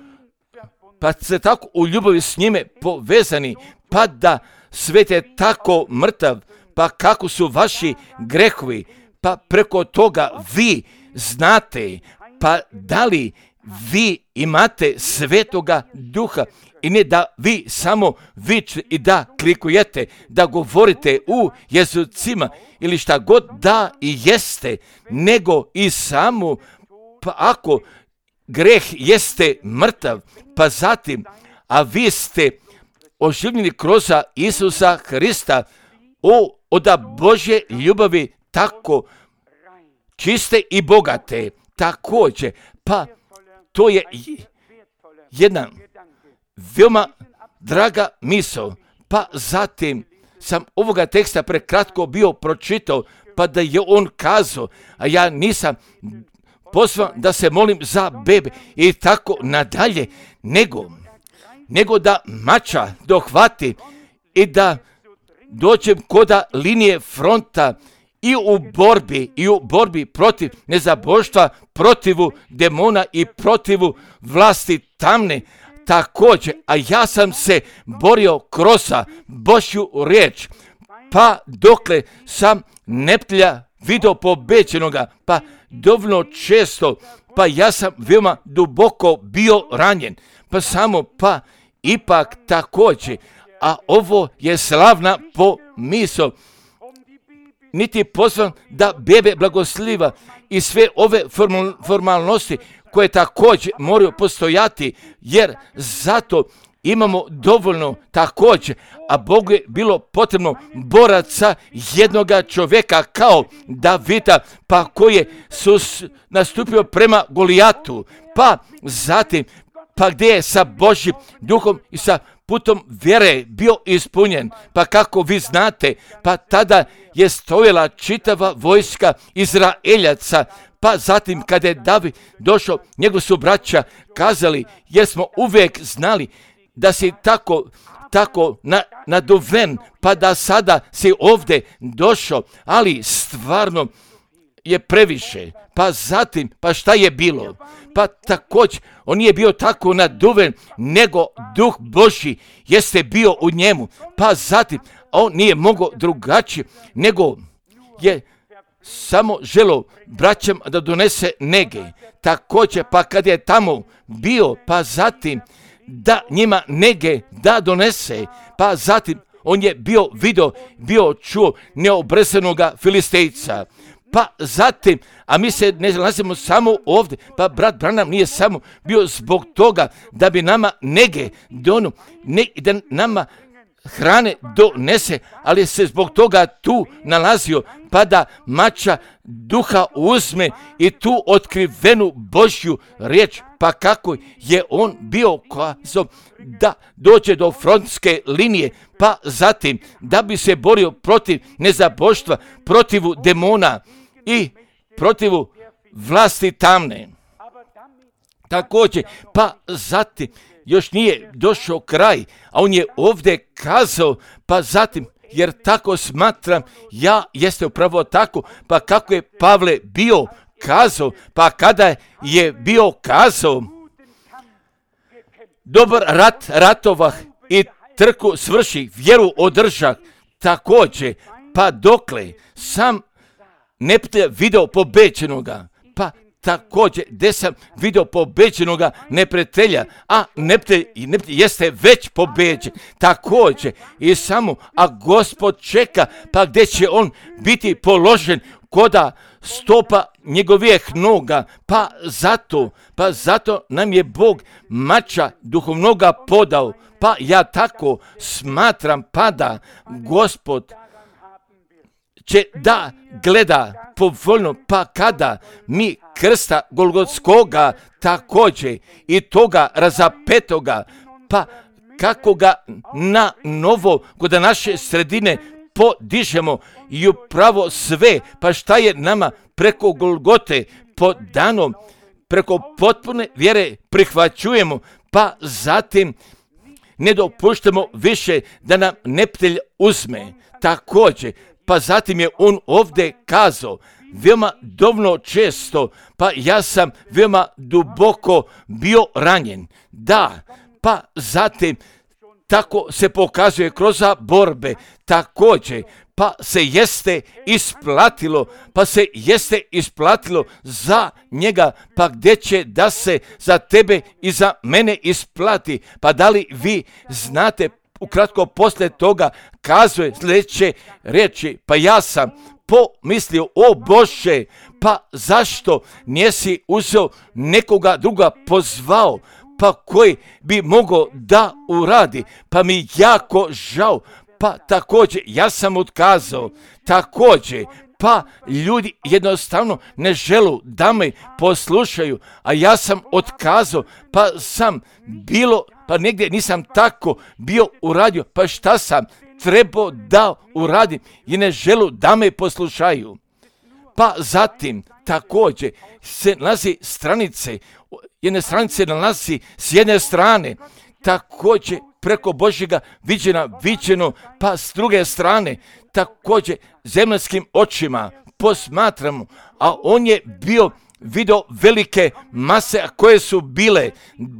pa ste tako u ljubavi s njime povezani, pa da svet je tako mrtav, pa kako su vaši grehovi, pa preko toga vi znate, pa da li vi imate Svetoga Duha, i ne da vi samo vičete i da klikujete, da govorite u jezucima ili šta god da i jeste, nego i samo, pa ako greh jeste mrtav, pa zatim, a vi ste oživljeni kroz Isusa Hrista, o, oda Božje ljubavi tako čiste i bogate, također, pa to je jedna veoma draga misao, pa zatim sam ovoga teksta prekratko bio pročitao, pa da je on kazao, a ja nisam pozvan da se molim za bebe i tako nadalje, nego, nego da mača dohvati i da dođem koda linije fronta i u borbi, i u borbi protiv nezaboštva, protivu demona i protivu vlasti tamne, također, a ja sam se borio kroz Božju riječ, pa dokle sam neprijatelja video pobeđenoga, pa dovoljno često, pa ja sam veoma duboko bio ranjen, pa samo, pa ipak također, a ovo je slavna pomisao, niti pozvan da bebe blagosliva i sve ove formalnosti koje također moraju postojati, jer zato imamo dovoljno također, a Bogu je bilo potrebno boraca jednoga čovjeka kao Davida, pa koji je sus nastupio prema Golijatu, pa zatim, pa gdje je sa Božjim duhom i sa putom vjere bio ispunjen, pa kako vi znate, pa tada je stojala čitava vojska Izraeljaca, pa zatim kada je David došao, njegov su braća kazali, jer smo uvijek znali da si tako, tako na, naduven, pa da sada si ovdje došao, ali stvarno je previše. Pa zatim, pa šta je bilo? Pa također, on nije bio tako naduven, nego Duh Božji jeste bio u njemu. Pa zatim, on nije mogao drugačije, nego je samo želo braćam da donese nege. Također, pa kad je tamo bio, pa zatim, da njima nege da donese, pa zatim on je bio video, bio čuo neobrezanoga Filistejca. Pa zatim, a mi se ne nalazimo samo ovdje, pa brat Branham nije samo bio zbog toga da bi nama nege donu, ne, da nama hrane donese, ali se zbog toga tu nalazio, pa da mača duha uzme i tu otkrivenu Božju riječ, pa kako je on bio kazao da dođe do frontske linije, pa zatim da bi se borio protiv nezaboštva, protivu demona i protivu vlasti tamne. Također, pa zatim još nije došao kraj, a on je ovdje kazao, pa zatim, jer tako smatram, ja jeste upravo tako, pa kako je Pavle bio kazao, pa kada je bio kazao, dobar rat ratovah i trku svrši, vjeru održah, također, pa dokle sam neprijatelja video pobeđenoga, pa također, gdje sam video pobeđenoga neprijatelja, a neprijatelj jeste već pobeđen, također, i samo, a Gospod čeka, pa gdje će on biti položen koda stopa njegovih noga, pa zato, pa zato nam je Bog mača duhovnoga podao, pa ja tako smatram, pa da Gospod će da gleda povoljno, pa kada mi krsta Golgotskoga također i toga razapetoga, pa kako ga na novo kod naše sredine podižemo i upravo sve, pa šta je nama preko Golgote podano, preko potpune vjere prihvaćujemo, pa zatim ne dopuštamo više da nam neprijatelj uzme. Također, pa zatim je on ovdje kazao, veoma dovoljno često, pa ja sam veoma duboko bio ranjen. Da, pa zatim tako se pokazuje kroz borbe, također, pa se jeste isplatilo, pa se jeste isplatilo za njega, pa gdje će da se za tebe i za mene isplati, pa da li vi znate, ukratko poslije toga kazuje sljedeće riječi, pa ja sam pomislio, o Bože, pa zašto nisi uzeo nekoga druga pozvao, pa koji bi mogao da uradi, pa mi jako žao, pa također ja sam otkazao, također, pa ljudi jednostavno ne želu da me poslušaju, a ja sam otkazao, pa sam bilo, pa negdje nisam tako bio uradio, pa šta sam trebao da uradim i ne želu da me poslušaju. Pa zatim također se nalazi stranice, jedne stranice nalazi s jedne strane, također preko Božjega viđena, viđeno, pa s druge strane također zemaljskim očima posmatramo, a on je bio video velike mase koje su bile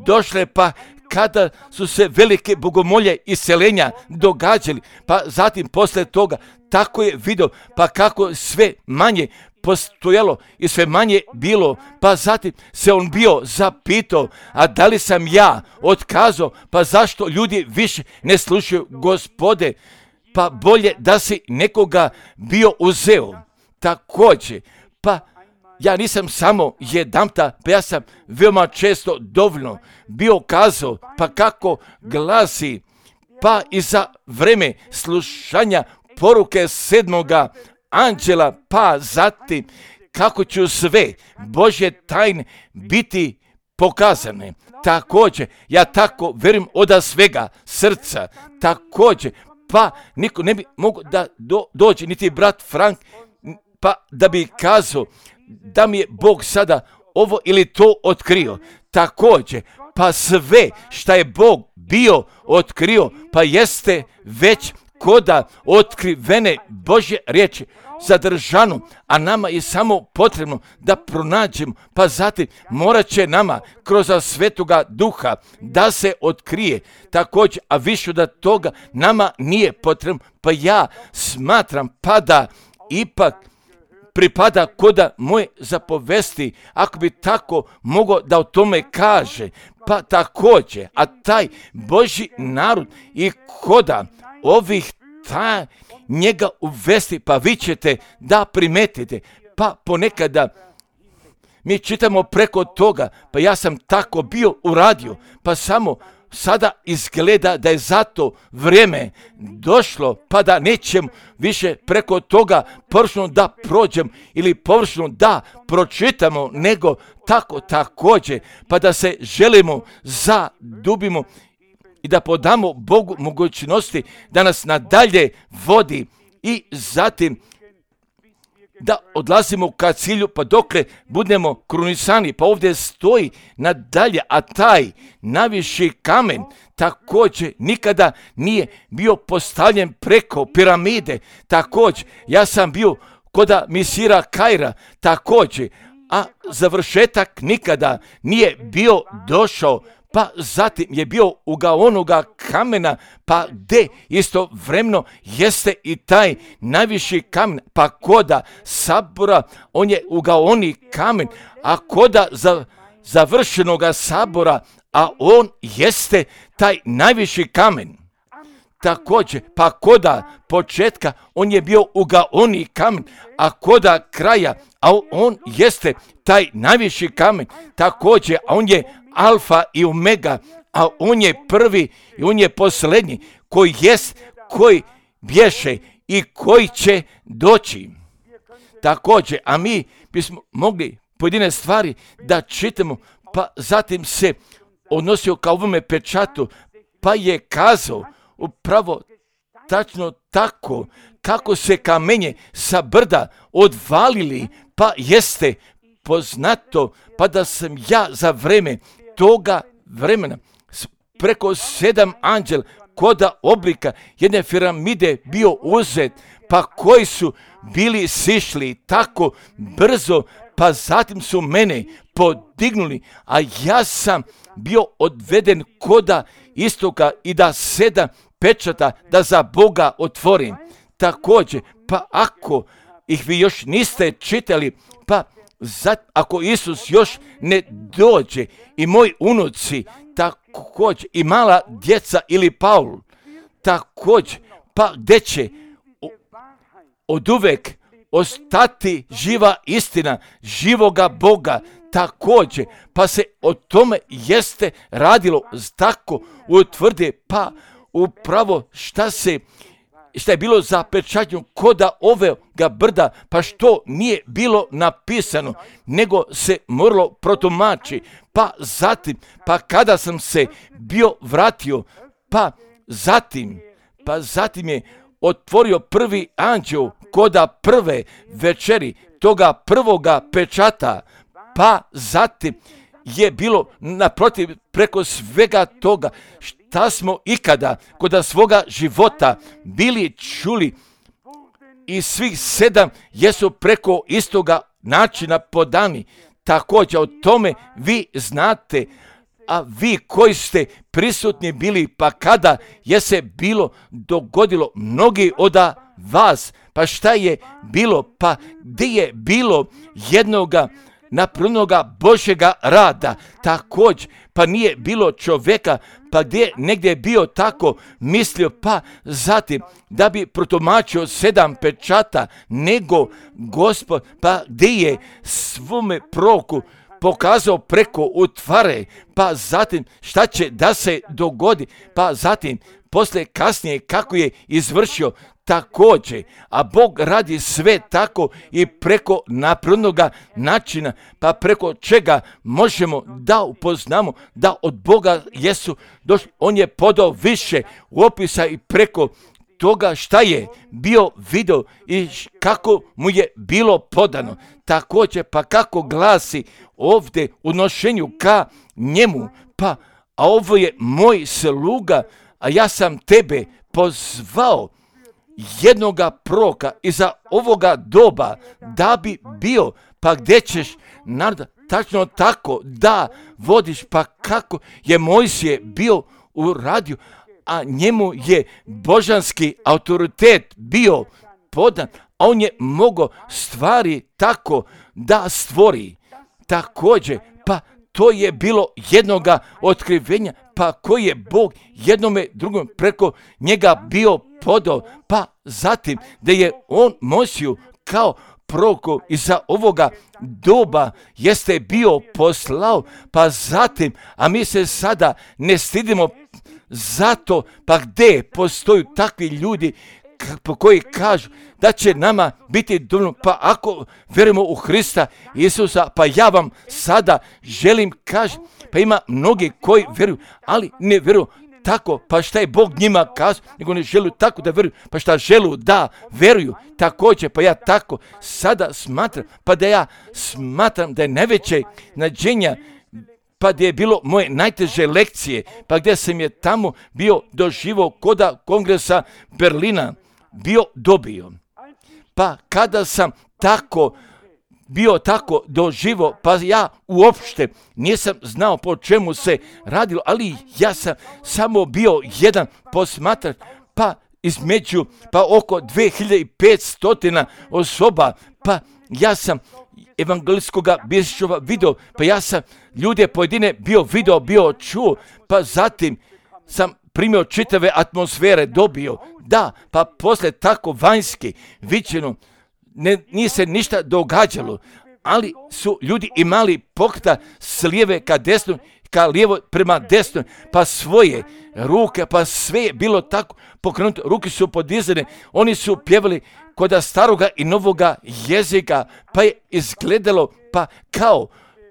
došle, pa kada su se velike bogomolje iseljenja događali, pa zatim posle toga tako je vidio, pa kako sve manje postojalo i sve manje bilo, pa zatim se on bio zapitao, a da li sam ja otkazao, pa zašto ljudi više ne slušaju Gospode, pa bolje da si nekoga bio uzeo. Također, pa ja nisam samo jedanput, pa ja sam veoma često dovoljno bio kazao, pa kako glasi, pa i za vreme slušanja poruke sedmoga anđela, pa zatim kako će sve Božje tajne biti pokazane. Također, ja tako verujem od svega srca, također, pa niko ne bi mogo da do, dođe, niti brat Frank, pa da bi kazao da mi je Bog sada ovo ili to otkrio. Također, pa sve šta je Bog bio otkrio, pa jeste već koda otkrivene Božje riječi zadržano, a nama je samo potrebno da pronađemo, pa zatim morat će nama kroz Svetoga Duha da se otkrije. Također, a više da toga nama nije potrebno, pa ja smatram pa da ipak pripada koda moje zapovesti, ako bi tako mogao da o tome kaže, pa također, a taj Božji narod i koda ovih ta njega uvesti, pa vi ćete da primetite, pa ponekada mi čitamo preko toga, pa ja sam tako bio uradio, pa samo sada izgleda da je zato vrijeme došlo, pa da nećemo više preko toga površno da prođemo ili površno da pročitamo, nego tako također, pa da se želimo zadubimo i da podamo Bogu mogućnosti da nas nadalje vodi i zatim da odlazimo ka cilju, pa dokle budemo krunisani, pa ovdje stoji nadalje, a taj najviši kamen također nikada nije bio postavljen preko piramide. Također, ja sam bio koda misira Kaira, također, a završetak nikada nije bio došao, pa zatim je bio uga onoga kamena, pa gde istovremeno jeste i taj najviši kamen, pa koda sabora, on je uga oni kamen, a koda za, završenoga sabora, a on jeste taj najviši kamen. Također, pa koda početka, on je bio uga oni kamen, a koda kraja, a on jeste taj najviši kamen. Također, a on je alfa i omega, a on je prvi i on je posljednji, koji jest, koji bješe i koji će doći. Također, a mi bismo mogli pojedine stvari da čitamo, pa zatim se odnosio kao ovome pečatu, pa je kazao upravo tačno tako kako se kamenje sa brda odvalili, pa jeste poznato, pa da sam ja za vreme toga vremena preko sedam anđela koda oblika jedne piramide bio uzet, pa koji su bili sišli tako brzo, pa zatim su mene podignuli, a ja sam bio odveden koda istoka i da sedam pečata da za Boga otvorim. Također, pa ako ih vi još niste čitali, pa zat, ako Isus još ne dođe i moji unuci, također i mala djeca ili Paul, također, pa gdje će od uvek ostati živa istina živoga Boga, također, pa se o tome jeste radilo tako utvrde, pa upravo šta se šta je bilo zapečaćeno koda ovega brda, pa što nije bilo napisano, nego se moralo protumači, pa zatim, pa kada sam se bio vratio, pa zatim, pa zatim je otvorio prvi anđeo koda prve večeri toga prvoga pečata, pa zatim je bilo naprotiv preko svega toga šta smo ikada koda svoga života bili čuli i svih sedam jesu preko istoga načina podani. Također o tome vi znate, a vi koji ste prisutni bili, pa kada je se bilo dogodilo mnogi od vas, pa šta je bilo, pa gdje je bilo jednoga napravljenoga Božjega rada, također, pa nije bilo čovjeka, pa gdje negdje je bio tako mislio, pa zatim da bi protumačio sedam pečata, nego Gospod, pa gdje je svome proroku pokazao preko utvare, pa zatim šta će da se dogodi, pa zatim poslije kasnije kako je izvršio također, a Bog radi sve tako i preko naprednoga načina, pa preko čega možemo da upoznamo da od Boga jesu došli. On je podao više u opisa i preko toga šta je bio video i kako mu je bilo podano. Također, pa kako glasi ovdje u nošenju ka njemu, pa a ovo je moj sluga, a ja sam tebe pozvao jednoga proroka iza ovoga doba da bi bio, pa gdje ćeš naroda tačno tako da vodiš, pa kako je Mojsije bio uradio, a njemu je božanski autoritet bio podan, a on je mogao stvari tako da stvori. Također, pa to je bilo jednoga otkrivenja, pa koji je Bog jednome drugom preko njega bio podao, pa zatim da je on Mojsiju kao proroku iza ovoga doba jeste bio poslao, pa zatim, a mi se sada ne stidimo zato, pa gdje postoju takvi ljudi po koji kažu da će nama biti dovoljno, pa ako vjerujemo u Hrista Isusa, pa ja vam sada želim kažem, pa ima mnogi koji vjeruju, ali ne vjeruju tako, pa šta je Bog njima kazao, nego ne žele tako da vjeruju, pa šta želu da vjeruju, također, pa ja tako sada smatram, pa da ja smatram da je najveće nađenja, pa gdje je bilo moje najteže lekcije, pa gdje sam je tamo bio doživio koda kongresa Berlina, bio dobio. Pa kada sam tako bio tako doživo, pa ja uopšte nisam znao po čemu se radilo, ali ja sam samo bio jedan posmatrač, pa između, pa oko dve hiljade petsto osoba, pa ja sam evangelistskoga bišćova video, pa ja sam ljude pojedine bio video, bio čuo, pa zatim sam primio čitave atmosfere, dobio, da, pa posle tako vanjski viđeno, ne, nije se ništa događalo, ali su ljudi imali pokreta s lijeve ka desnoj, ka lijevo prema desnoj, pa svoje ruke, pa sve je bilo tako pokrenuto, ruke su podizane, oni su pjevali kod staroga i novoga jezika, pa je izgledalo pa kao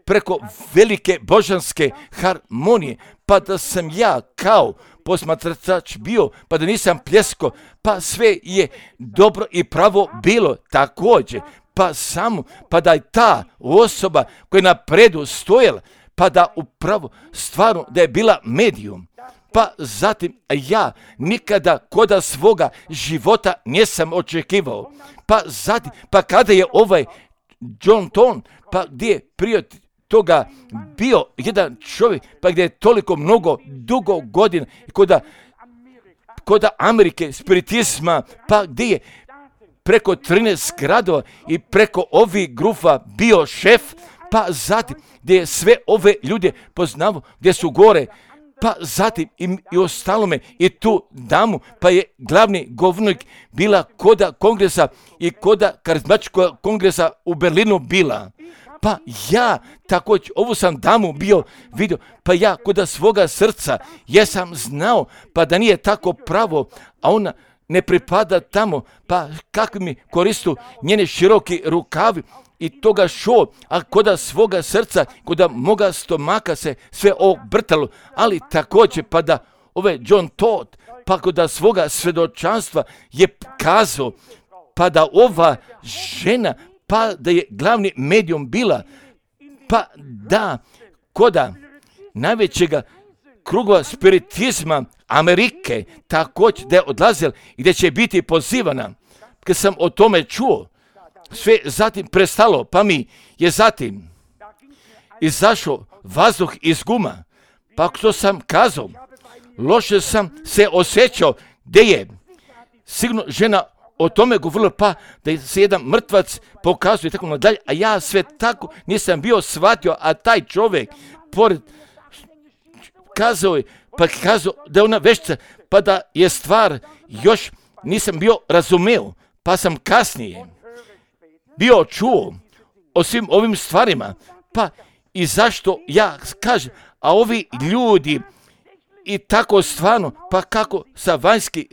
preko velike božanske harmonije, pa da sam ja kao posmatrač bio, pa da nisam pljesko, pa sve je dobro i pravo bilo također, pa samo, pa da je ta osoba koja je na predu stojala, pa da upravo stvarno da je bila medijum. Pa zatim ja nikada koda svoga života nisam očekivao. Pa zatim, pa kada je ovaj John Ton, pa gdje je prije toga bio jedan čovjek, pa gdje je toliko mnogo dugo godina koda, koda Amerike, spiritizma, pa gdje je preko trinaest gradova i preko ovih grupa bio šef, pa zatim gdje je sve ove ljude poznavo, gdje su gore, pa zatim i, i ostalome i tu damu, pa je glavni govornik bila koda kongresa i koda karizmatičkog kongresa u Berlinu bila. Pa ja također ovu sam damu bio vidio, pa ja koda svoga srca jesam znao, pa da nije tako pravo, a ona ne pripada tamo, pa kakvi mi koristu njene široki rukavi i toga šo, a koda svoga srca, koda moga stomaka se sve obrtalo, ali također pa da ove John Todd, pa koda svoga svedočanstva je kazao, pa da ova žena, pa da je glavni medijum bila, pa da koda najvećega krugova spiritizma Amerike, također da je odlazila i da će biti pozivana. Kad sam o tome čuo, sve zatim prestalo, pa mi je zatim izašao vazduh iz guma, Pa što sam kazao, loše sam se osjećao, gdje je sigurno žena o tome govorila, pa da se jedan mrtvac pokazuje tako nadalje, a ja sve tako nisam bio shvatio, a taj čovjek pored kazao je, pa kazao da je ona veštica, pa da je stvar još nisam bio razumeo, pa sam kasnije bio čuo o svim ovim stvarima, pa i zašto ja kažem, a ovi ljudi i tako stvarno, pa kako sa vanjski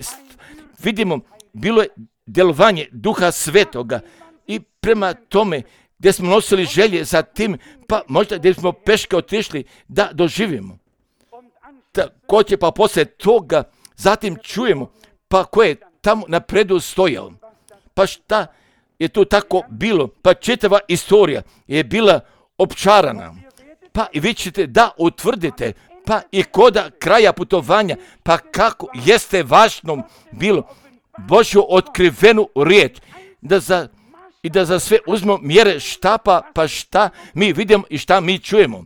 vidimo, bilo je djelovanje Duha Svetoga i prema tome gdje smo nosili želje za tim, pa možda gdje smo peške otišli da doživimo. Također pa poslije toga zatim čujemo pa ko je tamo napredu stojao. Pa šta je tu tako bilo? Pa čitava istorija je bila opčarana. Pa i vi ćete da utvrdite, pa i koda kraja putovanja, pa kako jeste važno bilo Božju otkrivenu riječ, da za, i da za sve uzmemo mjere štapa, pa šta mi vidimo i šta mi čujemo.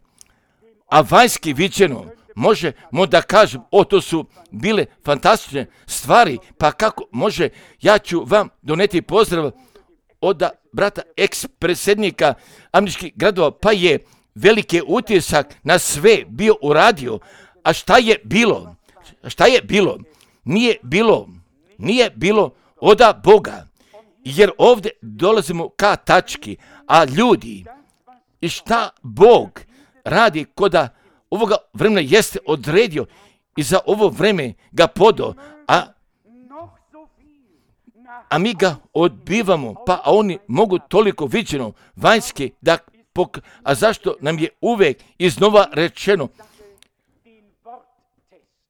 A vanjski viđeno, možemo da kažem, o to su bile fantastične stvari, pa kako može, ja ću vam doneti pozdrav od brata eks-predsjednika američkih gradova, pa je veliki utisak na sve bio uradio. A šta je bilo? Šta je bilo? Nije bilo, nije bilo oda Boga, jer ovdje dolazimo ka tački, a ljudi, i šta Bog radi koda ovoga vremena jeste odredio i za ovo vreme ga podo, a, a mi ga odbivamo, pa a oni mogu toliko viđeno vanjski da pok- a zašto nam je uvijek iznova rečeno,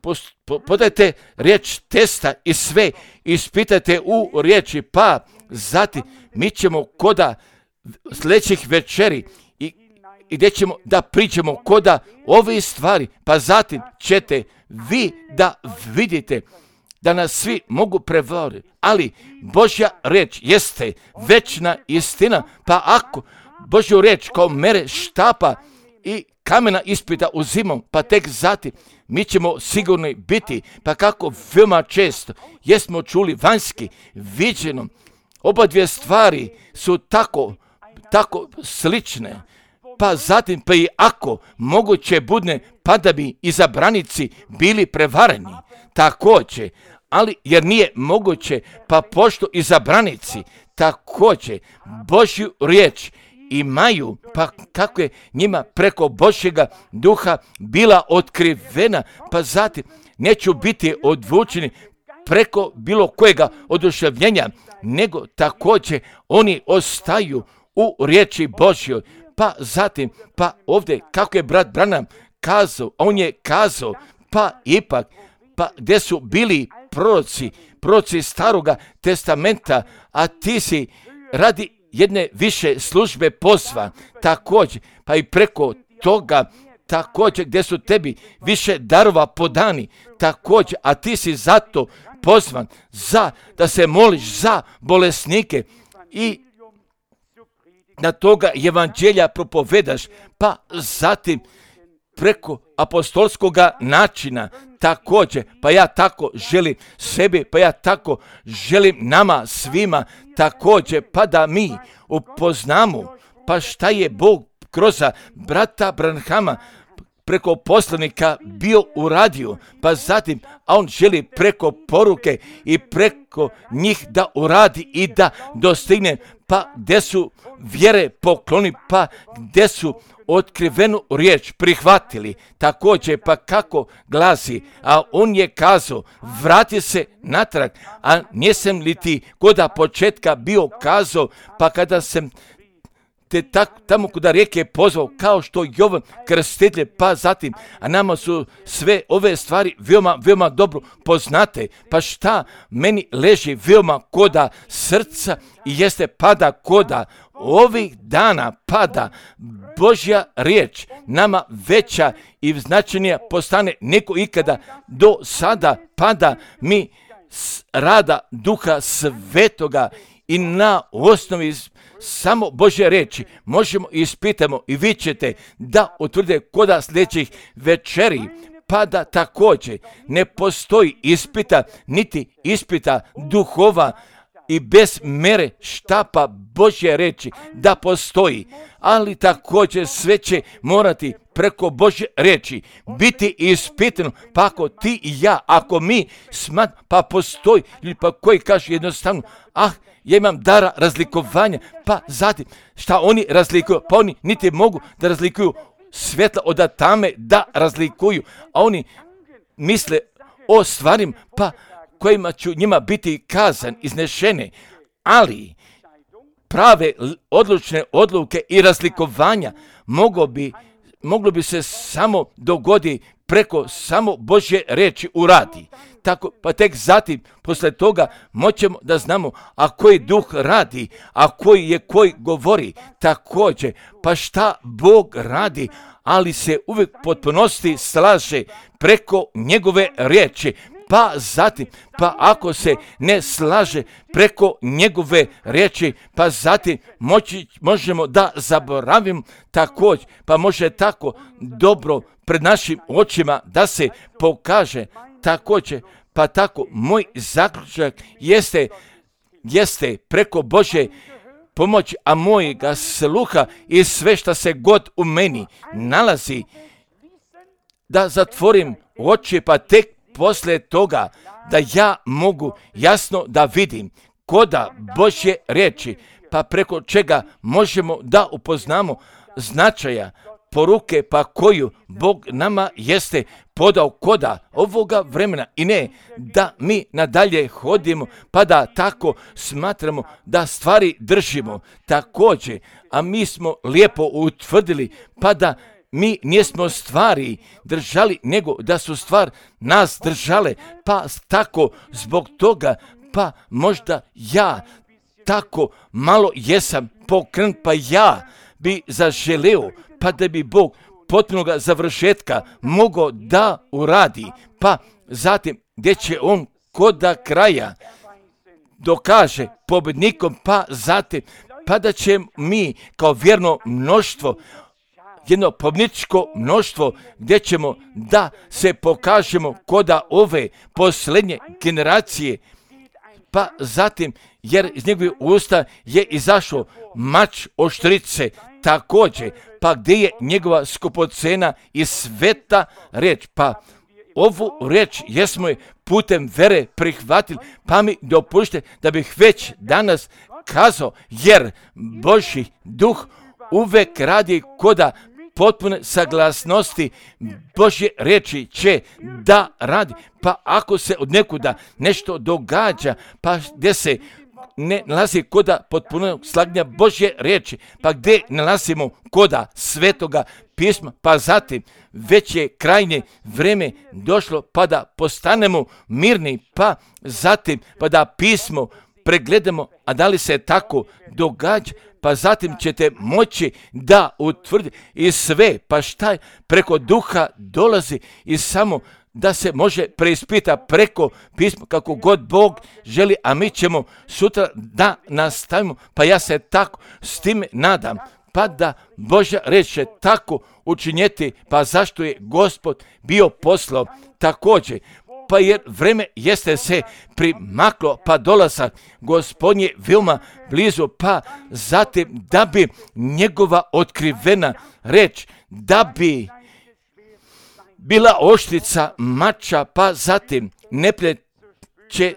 Post, po, podajte riječ testa i sve, ispitajte u riječi, pa zatim mi ćemo koda sljedećih večeri i, i gdje ćemo da pričamo koda ove stvari, pa zatim ćete vi da vidite da nas svi mogu prevariti, ali Božja riječ jeste večna istina, pa ako Božju riječ kao mere štapa i kamena ispita uzimom, pa tek zatim mi ćemo sigurno biti, pa kako veoma često jesmo čuli vanjski, viđeno, oba dvije stvari su tako, tako slične, pa zatim pa i ako moguće budne, pa da bi izabranici bili prevareni, također, ali jer nije moguće, pa pošto izabranici također Božju riječ imaju, pa kako je njima preko Božjega duha bila otkrivena, pa zatim neću biti odvučeni preko bilo kojega oduševljenja, nego također oni ostaju u riječi Božjoj, pa zatim, pa ovdje kako je brat Branham kazao, on je kazao, pa ipak, pa gdje su bili proroci, proroci staroga testamenta, a ti si radi jedne više službe pozva, također, pa i preko toga, također gdje su tebi više darova podani, također, a ti si zato pozvan za da se moliš za bolesnike i da toga evanđelja propovedaš, pa zatim preko apostolskoga načina također, pa ja tako želim sebi, pa ja tako želim nama svima također, pa da mi upoznamo, pa šta je Bog kroz brata Branhama preko poslanika bio uradio, pa zatim, a on želi preko poruke i preko njih da uradi i da dostigne, pa gdje su vjere pokloni, pa gdje su otkrivenu riječ prihvatili, također pa kako glasi, a on je kazao, vrati se natrag, a nisam li ti koda početka bio kazao, pa kada sam te tak, tamo kuda rijeke pozvao, kao što Jovan Krstitelj, pa zatim, a nama su sve ove stvari veoma, veoma dobro poznate, pa šta meni leži veoma koda srca i jeste pada koda ovih dana pada Božja riječ nama veća i značajnija postane neko ikada do sada, pada mi rada Duha Svetoga i na osnovi samo Božje reči možemo i ispitamo i vi ćete da utvrde koda sljedećih večeri, pa da također ne postoji ispita, niti ispita duhova i bez mere štapa Božje reči da postoji, ali također sve će morati preko Božje reči biti ispitano, pa ako ti i ja, ako mi smat, pa postoji, ili pa koji kaže jednostavno, ah, ja imam dara razlikovanja, pa zatim šta oni razlikuju, pa oni niti mogu da razlikuju svjetla od tame, da razlikuju, a oni misle o stvarima, pa kojima ću njima biti kazan, iznešene, ali prave odlučne odluke i razlikovanja moglo bi, moglo bi se samo dogoditi preko samo Božje reči uradi. Tako, pa tek zatim, posle toga, moćemo da znamo a koji duh radi, a koji je koji govori također, pa šta Bog radi, ali se uvijek potpunosti slaže preko njegove riječi. Pa zatim, pa ako se ne slaže preko njegove riječi, pa zatim moći, možemo da zaboravimo također, pa može tako dobro pred našim očima da se pokaže također, pa tako moj zaključak jeste, jeste preko Božje pomoći, a mojega sluha i sve što se god u meni nalazi, da zatvorim oči, pa tek poslije toga da ja mogu jasno da vidim koda Božje riječi, pa preko čega možemo da upoznamo značaja poruke, pa koju Bog nama jeste podao koda ovoga vremena, i ne da mi nadalje hodimo pa da tako smatramo da stvari držimo također, a mi smo lijepo utvrdili pa da mi nismo stvari držali, nego da su stvar nas držale, pa tako zbog toga, pa možda ja tako malo jesam pokrenut, pa ja bi zaželeo, pa da bi Bog potpunoga završetka mogao da uradi, pa zatim gdje će on koda kraja dokaže pobjednikom, pa zatim pa da će mi kao vjerno mnoštvo, jedno pobjedničko mnoštvo, gdje ćemo da se pokažemo koda ove posljednje generacije, pa zatim jer iz njegove usta je izašao mač oštrice također, pa gdje je njegova skupocena i sveta reč, pa ovu reč jesmo je putem vere prihvatili, pa mi dopušte da bih već danas kazao, jer Božji duh uvek radi koda potpune saglasnosti Božje reči će da radi, pa ako se od nekuda nešto događa, pa gdje se ne nalazi koda potpunog slaganja Božje riječi, pa gdje nalazimo koda svetoga pisma, pa zatim već je krajnje vreme došlo pa da postanemo mirni, pa zatim pa da pismo pregledamo, a da li se tako događa, pa zatim ćete moći da utvrdite i sve, pa šta je preko duha dolazi i samo da se može preispita preko pisma kako god Bog želi, a mi ćemo sutra da nastavimo, pa ja se tako s time nadam, pa da Božja reč će tako učinjeti, pa zašto je Gospod bio poslao također, pa jer vreme jeste se primaklo, pa dolazak Gospodnje veoma blizu, pa zatim da bi njegova otkrivena reč, da bi bila oštrica mača, pa zatim neplje će,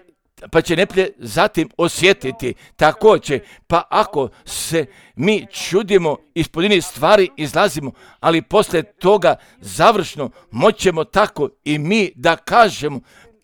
pa će neplje zatim osjetiti također, pa ako se mi čudimo, ispod inih stvari izlazimo, ali poslije toga završno moćemo tako i mi da kažemo,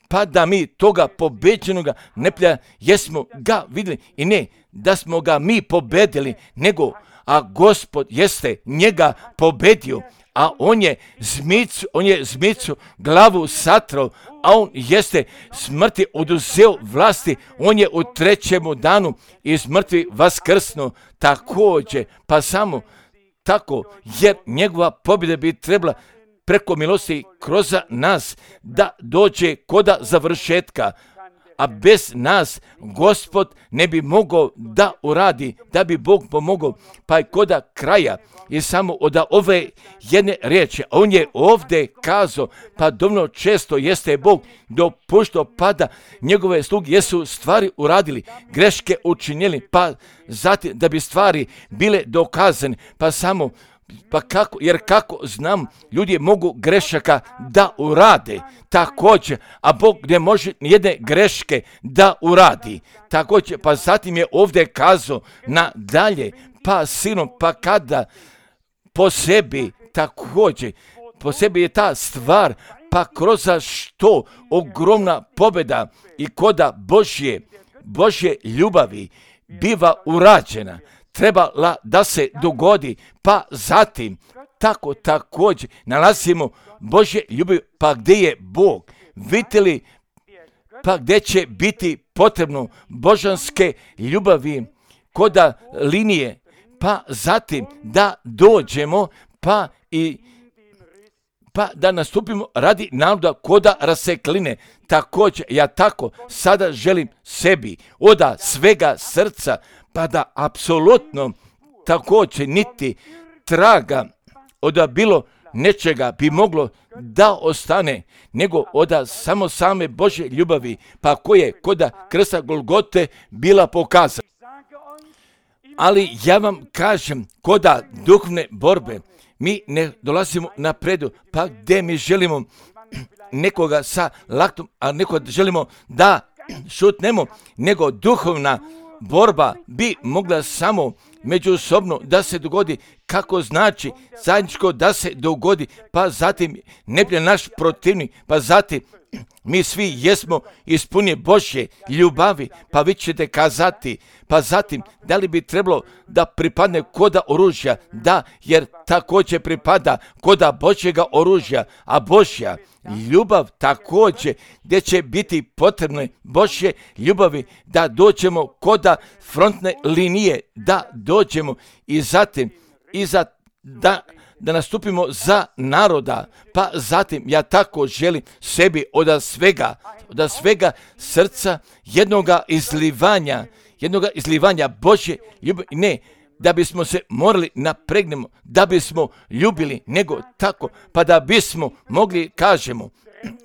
pa da mi toga pobeđenoga neplja jesmo ga vidjeli, i ne da smo ga mi pobedili, nego a Gospod jeste njega pobedio, a on je zmicu, on je zmicu glavu satrao, a on jeste smrti oduzeo vlasti, on je u trećemu danu iz mrtvi vaskrsnuo također, pa samo tako, jer njegova pobjeda bi trebala preko milosti kroz nas da dođe koda završetka, a bez nas Gospod ne bi mogao da uradi, da bi Bog pomogao. Pa je koda kraja i samo od ove jedne riječi, on je ovdje kazao, pa dovoljno često jeste Bog dopuštao pada njegove sluge, jesu stvari uradili, greške učinili, pa zatim da bi stvari bile dokazane, pa samo Pa kako, jer kako znam, ljudi mogu grešaka da urade, također, a Bog ne može nijedne greške da uradi, također, pa zatim je ovdje kazao nadalje, pa sinom, pa kada po sebi, također, po sebi je ta stvar, pa kroz što ogromna pobjeda i koda Božje, Božje ljubavi biva urađena, trebala da se dogodi, pa zatim tako također nalazimo Božje ljubav, pa gdje je Bog, vidite li, pa gdje će biti potrebno božanske ljubavi, koda linije, pa zatim da dođemo, pa i pa da nastupimo radi naroda koda rasekline. Također, ja tako sada želim sebi oda svega srca, pa da apsolutno također niti traga od bilo nečega bi moglo da ostane, nego od samo same Božje ljubavi, pa koje koda krsta Golgote bila pokazana. Ali ja vam kažem, koda duhovne borbe, mi ne dolazimo napredu, pa gdje mi želimo nekoga sa laktom, a nekoga želimo da šutnemo, nego duhovna borba bi mogla samo međusobno da se dogodi, kako znači zajedničko da se dogodi, pa zatim ne bi naš protivnik, pa zatim mi svi jesmo ispunje Božje ljubavi, pa vi ćete kazati, pa zatim da li bi trebalo da pripadne koda oružja, da, jer također pripada koda Božjega oružja, a Božja ljubav također, gdje će biti potrebne Božje ljubavi, da dođemo koda frontne linije, da dođemo i zatim, i za, da, da nastupimo za naroda, pa zatim ja tako želim sebi od svega, od svega srca jednoga izlivanja, jednoga izlivanja Božje ljubavi, ne da bismo se morali napregnemo, da bismo ljubili, nego tako, pa da bismo mogli kažemo,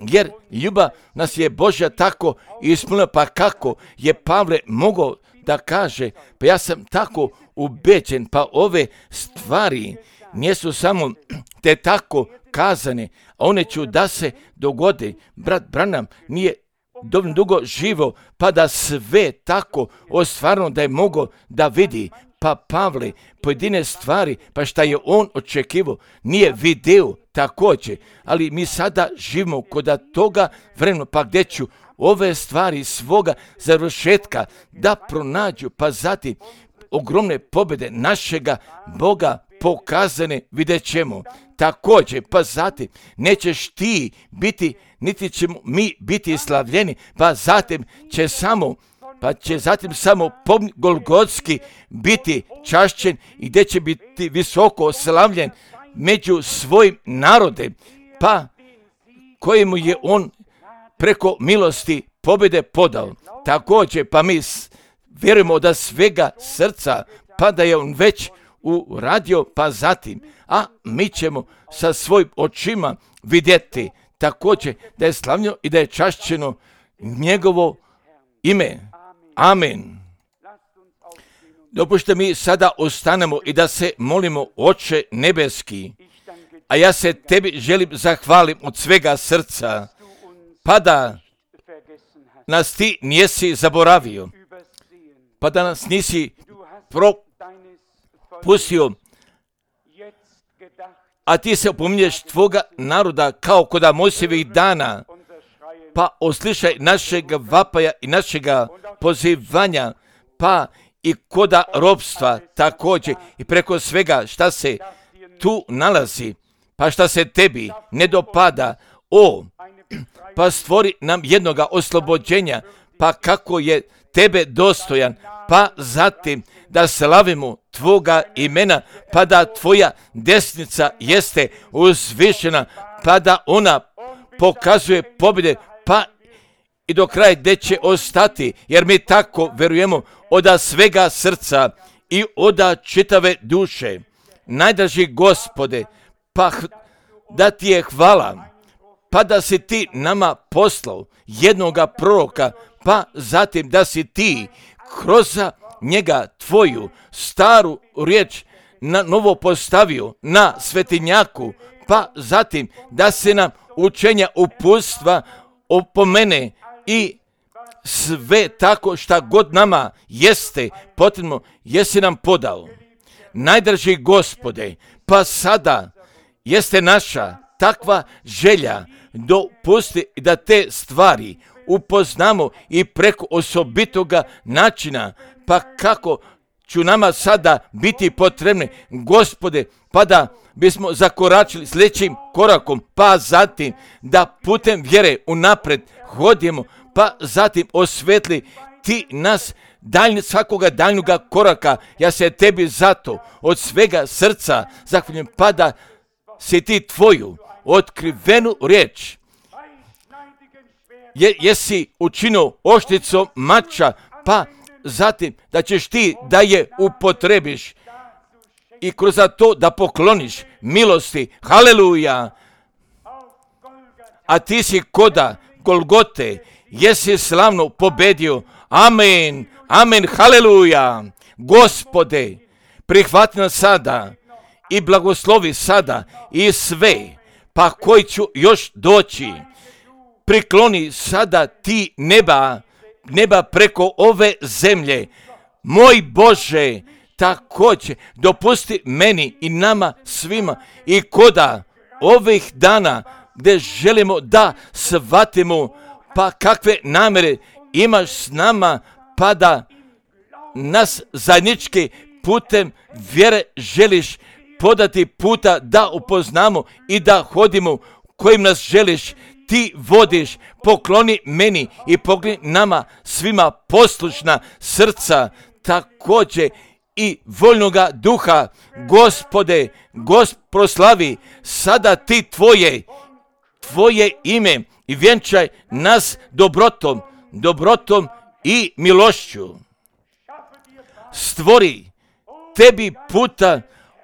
jer ljubav nas je Božja tako ispunila, pa kako je Pavle mogao da kaže, pa ja sam tako ubeđen, pa ove stvari nisu samo te tako kazane, a one ću da se dogode. Brat Branham nije dovoljno dugo živo, pa da sve tako ostvarno da je mogao da vidi, pa Pavle pojedine stvari, pa šta je on očekivao, nije video također, ali mi sada živimo kod toga vremena, pa gdje ću ove stvari svoga završetka da pronađu, pa zatim ogromne pobjede našega Boga pokazane vidjet ćemo. Također, pa zatim nećeš ti biti, niti ćemo mi biti slavljeni, pa zatim će samo pa će zatim samo pomnik Golgotski biti čašćen i gdje će biti visoko slavljen među svojim narodem, pa kojemu je on preko milosti pobjede podao. Također, pa mi vjerujemo da svega srca, pa da je on već uradio, pa zatim, a mi ćemo sa svojim očima vidjeti također da je slavljeno i da je čašćeno njegovo ime. Amen. Dopušte mi sada ostanemo i da se molimo, Oče nebeski, a ja se tebi želim zahvalim od svega srca, pa da nas ti nisi zaboravio, pa da nas nisi propustio, a ti se opominješ tvoga naroda kao kod Mojsijevih dana, pa oslišaj našeg vapaja i našega pozivanja, pa i koda robstva također i preko svega šta se tu nalazi, pa šta se tebi ne dopada, o, pa stvori nam jednoga oslobođenja, pa kako je tebe dostojan, pa zatim da slavimo tvoga imena, pa da tvoja desnica jeste uzvišena, pa da ona pokazuje pobjede, pa i do kraja gdje će ostati, jer mi tako verujemo oda svega srca i oda čitave duše. Najdraži Gospode, pa da ti je hvala, pa da si ti nama poslao jednoga proroka, pa zatim da si ti kroz njega tvoju staru riječ na novo postavio na svetinjaku, pa zatim da se nam učenja uputstva opomene i sve tako šta god nama jeste potrebno, jesi nam podao. Najdraži Gospode, pa sada jeste naša takva želja, dopusti da te stvari upoznamo i preko osobitoga načina, pa kako ću nama sada biti potrebne, Gospode, pa da bismo zakoračili sljedećim korakom, pa zatim da putem vjere unapred hodimo, pa zatim osvetli ti nas daljnje, svakoga daljnjega koraka. Ja se tebi zato od svega srca zahvaljujem, pa da si ti tvoju otkrivenu riječ je, jesi učinio oštricom mača, pa zatim da ćeš ti da je upotrebiš i kroz to da pokloniš milosti. Haleluja! A ti si koda Golgote, jesi slavno pobedio. Amen, amen, haleluja! Gospode, prihvati nas sada i blagoslovi sada i sve, pa koji ću još doći. Prikloni sada ti neba, neba preko ove zemlje. Moj Bože, također dopusti meni i nama svima i koda ovih dana gdje želimo da shvatimo pa kakve namjere imaš s nama, pa da nas zajednički putem vjere želiš podati puta da upoznamo i da hodimo kojim nas želiš. Ti vodiš, pokloni meni i pokloni nama svima poslušna srca, također i voljnoga duha. Gospode, Gospod proslavi sada ti tvoje, tvoje ime i vjenčaj nas dobrotom, dobrotom i milošću. Stvori tebi puta,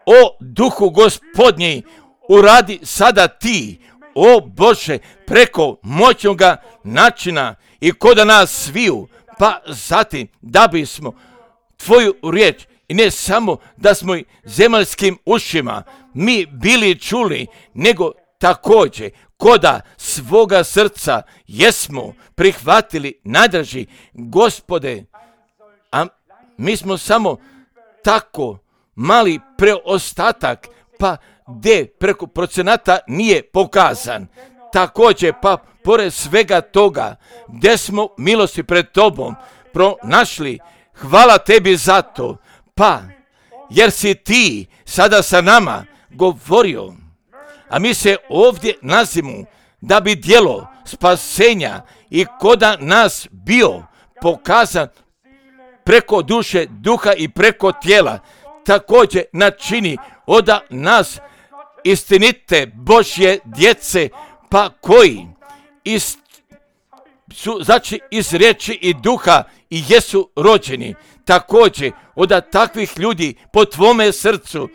o duhu Gospodnji, uradi sada ti, o Bože, preko moćnoga načina i koda nas sviju, pa zatim da bismo tvoju riječ i ne samo da smo zemaljskim ušima mi bili čuli, nego također koda svoga srca jesmo prihvatili. Najdraži Gospode, a mi smo samo tako mali preostatak, pa gdje preko procenata nije pokazan. Također, pa pored svega toga, gdje smo milosti pred tobom pronašli, hvala tebi za to, pa jer si ti sada sa nama govorio, a mi se ovdje nalazimo da bi djelo spasenja i koda nas bio pokazan preko duše, duha i preko tijela, također načini oda nas istinite Božje djece, pa koji iz, su znači iz riječi i duha i jesu rođeni. Također oda takvih ljudi po tvome srcu,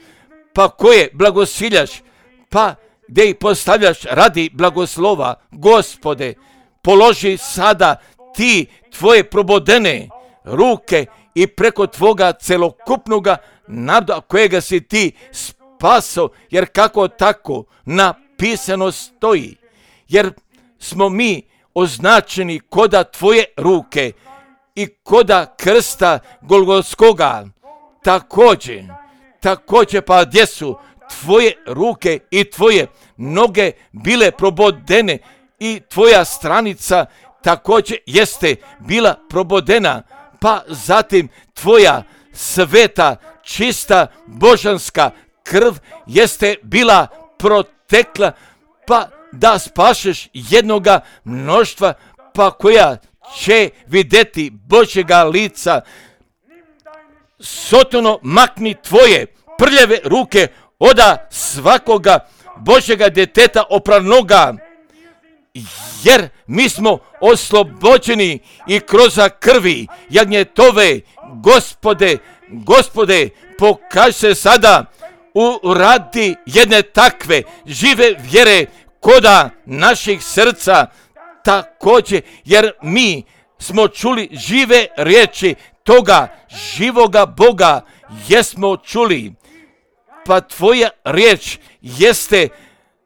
pa koje blagosiljaš, pa gdje ih postavljaš radi blagoslova. Gospode, položi sada ti tvoje probodene ruke i preko tvoga celokupnoga naroda kojega si ti spaso, jer kako tako napisano stoji, jer smo mi označeni koda tvoje ruke i koda krsta Golgotskoga. Također, također pa gdje su tvoje ruke i tvoje noge bile probodene i tvoja stranica također jeste bila probodena, pa zatim tvoja sveta, čista, božanska krv jeste bila protekla, pa da spašeš jednoga mnoštva, pa koja će vidjeti Božjega lica. Sotono, makni tvoje prljave ruke oda svakoga Božjega djeteta opranoga, jer mi smo oslobođeni i kroz krvi jagnjetove. Gospode, Gospode, pokaži se sada u radi jedne takve žive vjere koda naših srca također, jer mi smo čuli žive riječi toga živoga Boga, jesmo čuli, pa tvoja riječ jeste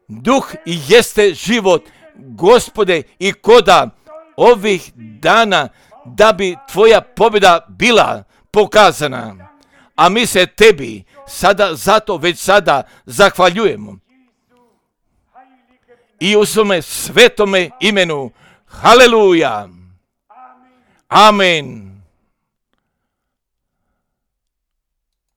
duh i jeste život, Gospode, i koda ovih dana da bi tvoja pobjeda bila pokazana, a mi se tebi sada zato već sada zahvaljujemo i u svome svetome imenu. Haleluja. Amen.